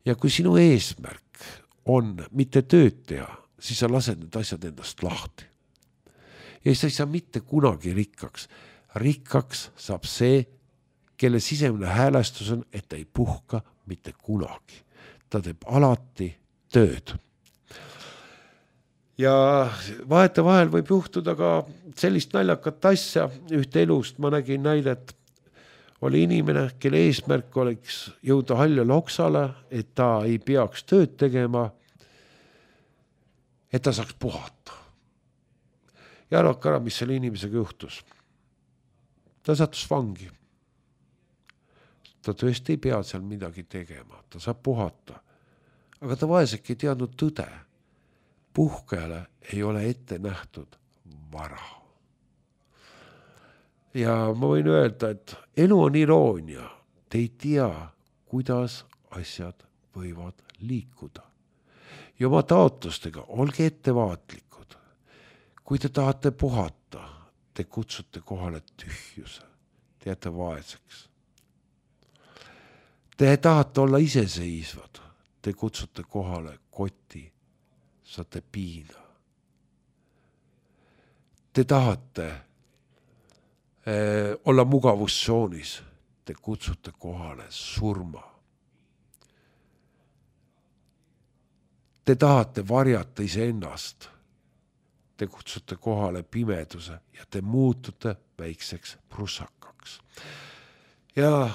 Ja kui sinu eesmärk on mitte tööd teha, siis sa lased need asjad endast lahti. Ja sa ei saa mitte kunagi rikkaks. Rikkaks saab see, kelle sisemine häälestus on, et ta ei puhka mitte kunagi. Ta teeb alati tööd. Ja vahete vahel võib juhtuda ka sellist naljakat asja. Ühte elust ma nägin näidet. Oli inimene, kelle eesmärk oleks jõuda Haljale oksale, et ta ei peaks tööd tegema, et ta saaks puhata. Ja arvake ära, mis selle inimesega juhtus. Ta sattus vangi. Ta tõesti ei pea seal midagi tegema, ta saab puhata. Aga ta vaeseki ei teadnud tõde. Puhkajale ei ole ette nähtud vara. Ja ma võin öelda, et elu on iroonia. Te ei tea, kuidas asjad võivad liikuda. Ja oma taotlustega olge ettevaatlikud. Kui te tahate puhata, te kutsute kohale tühjuse. Te jääte vaeseks. Te tahate olla iseseisvad, te kutsute kohale koti, saate piina. Te tahate eh, olla mugavustsoonis, te kutsute kohale surma. Te tahate varjata iseennast, te kutsute kohale pimeduse ja te muutute väikseks prussakaks. Ja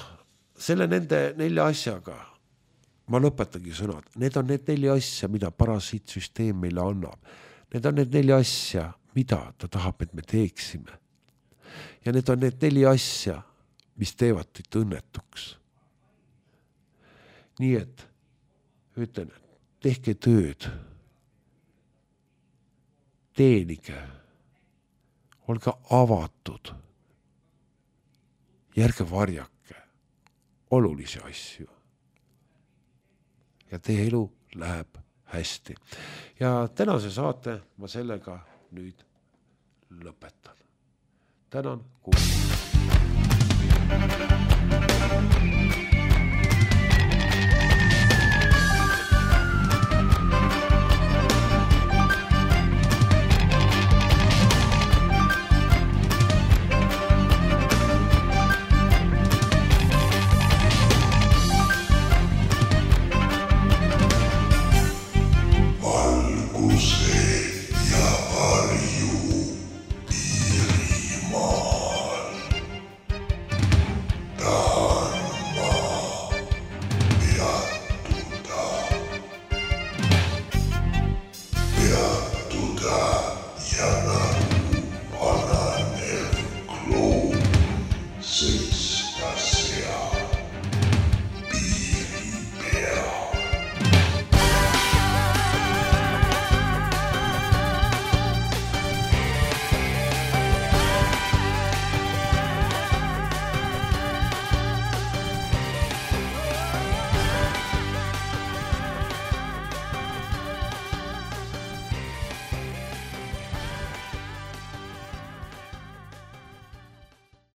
selle nende nelja asjaga ma lõpetangi sõnad. Need on need neli asja, mida parasiitsüsteem meile annab. Need on need neli asja, mida ta tahab, et me teeksime. Ja need on need neli asja, mis teevad teid õnnetuks. Nii et ütlen, tehke tööd. Teenige. Olge avatud. Järge varjake olulisi asju. Ja teie elu läheb hästi. Ja tänase saate ma sellega nüüd lõpetan. Tänan kuulama.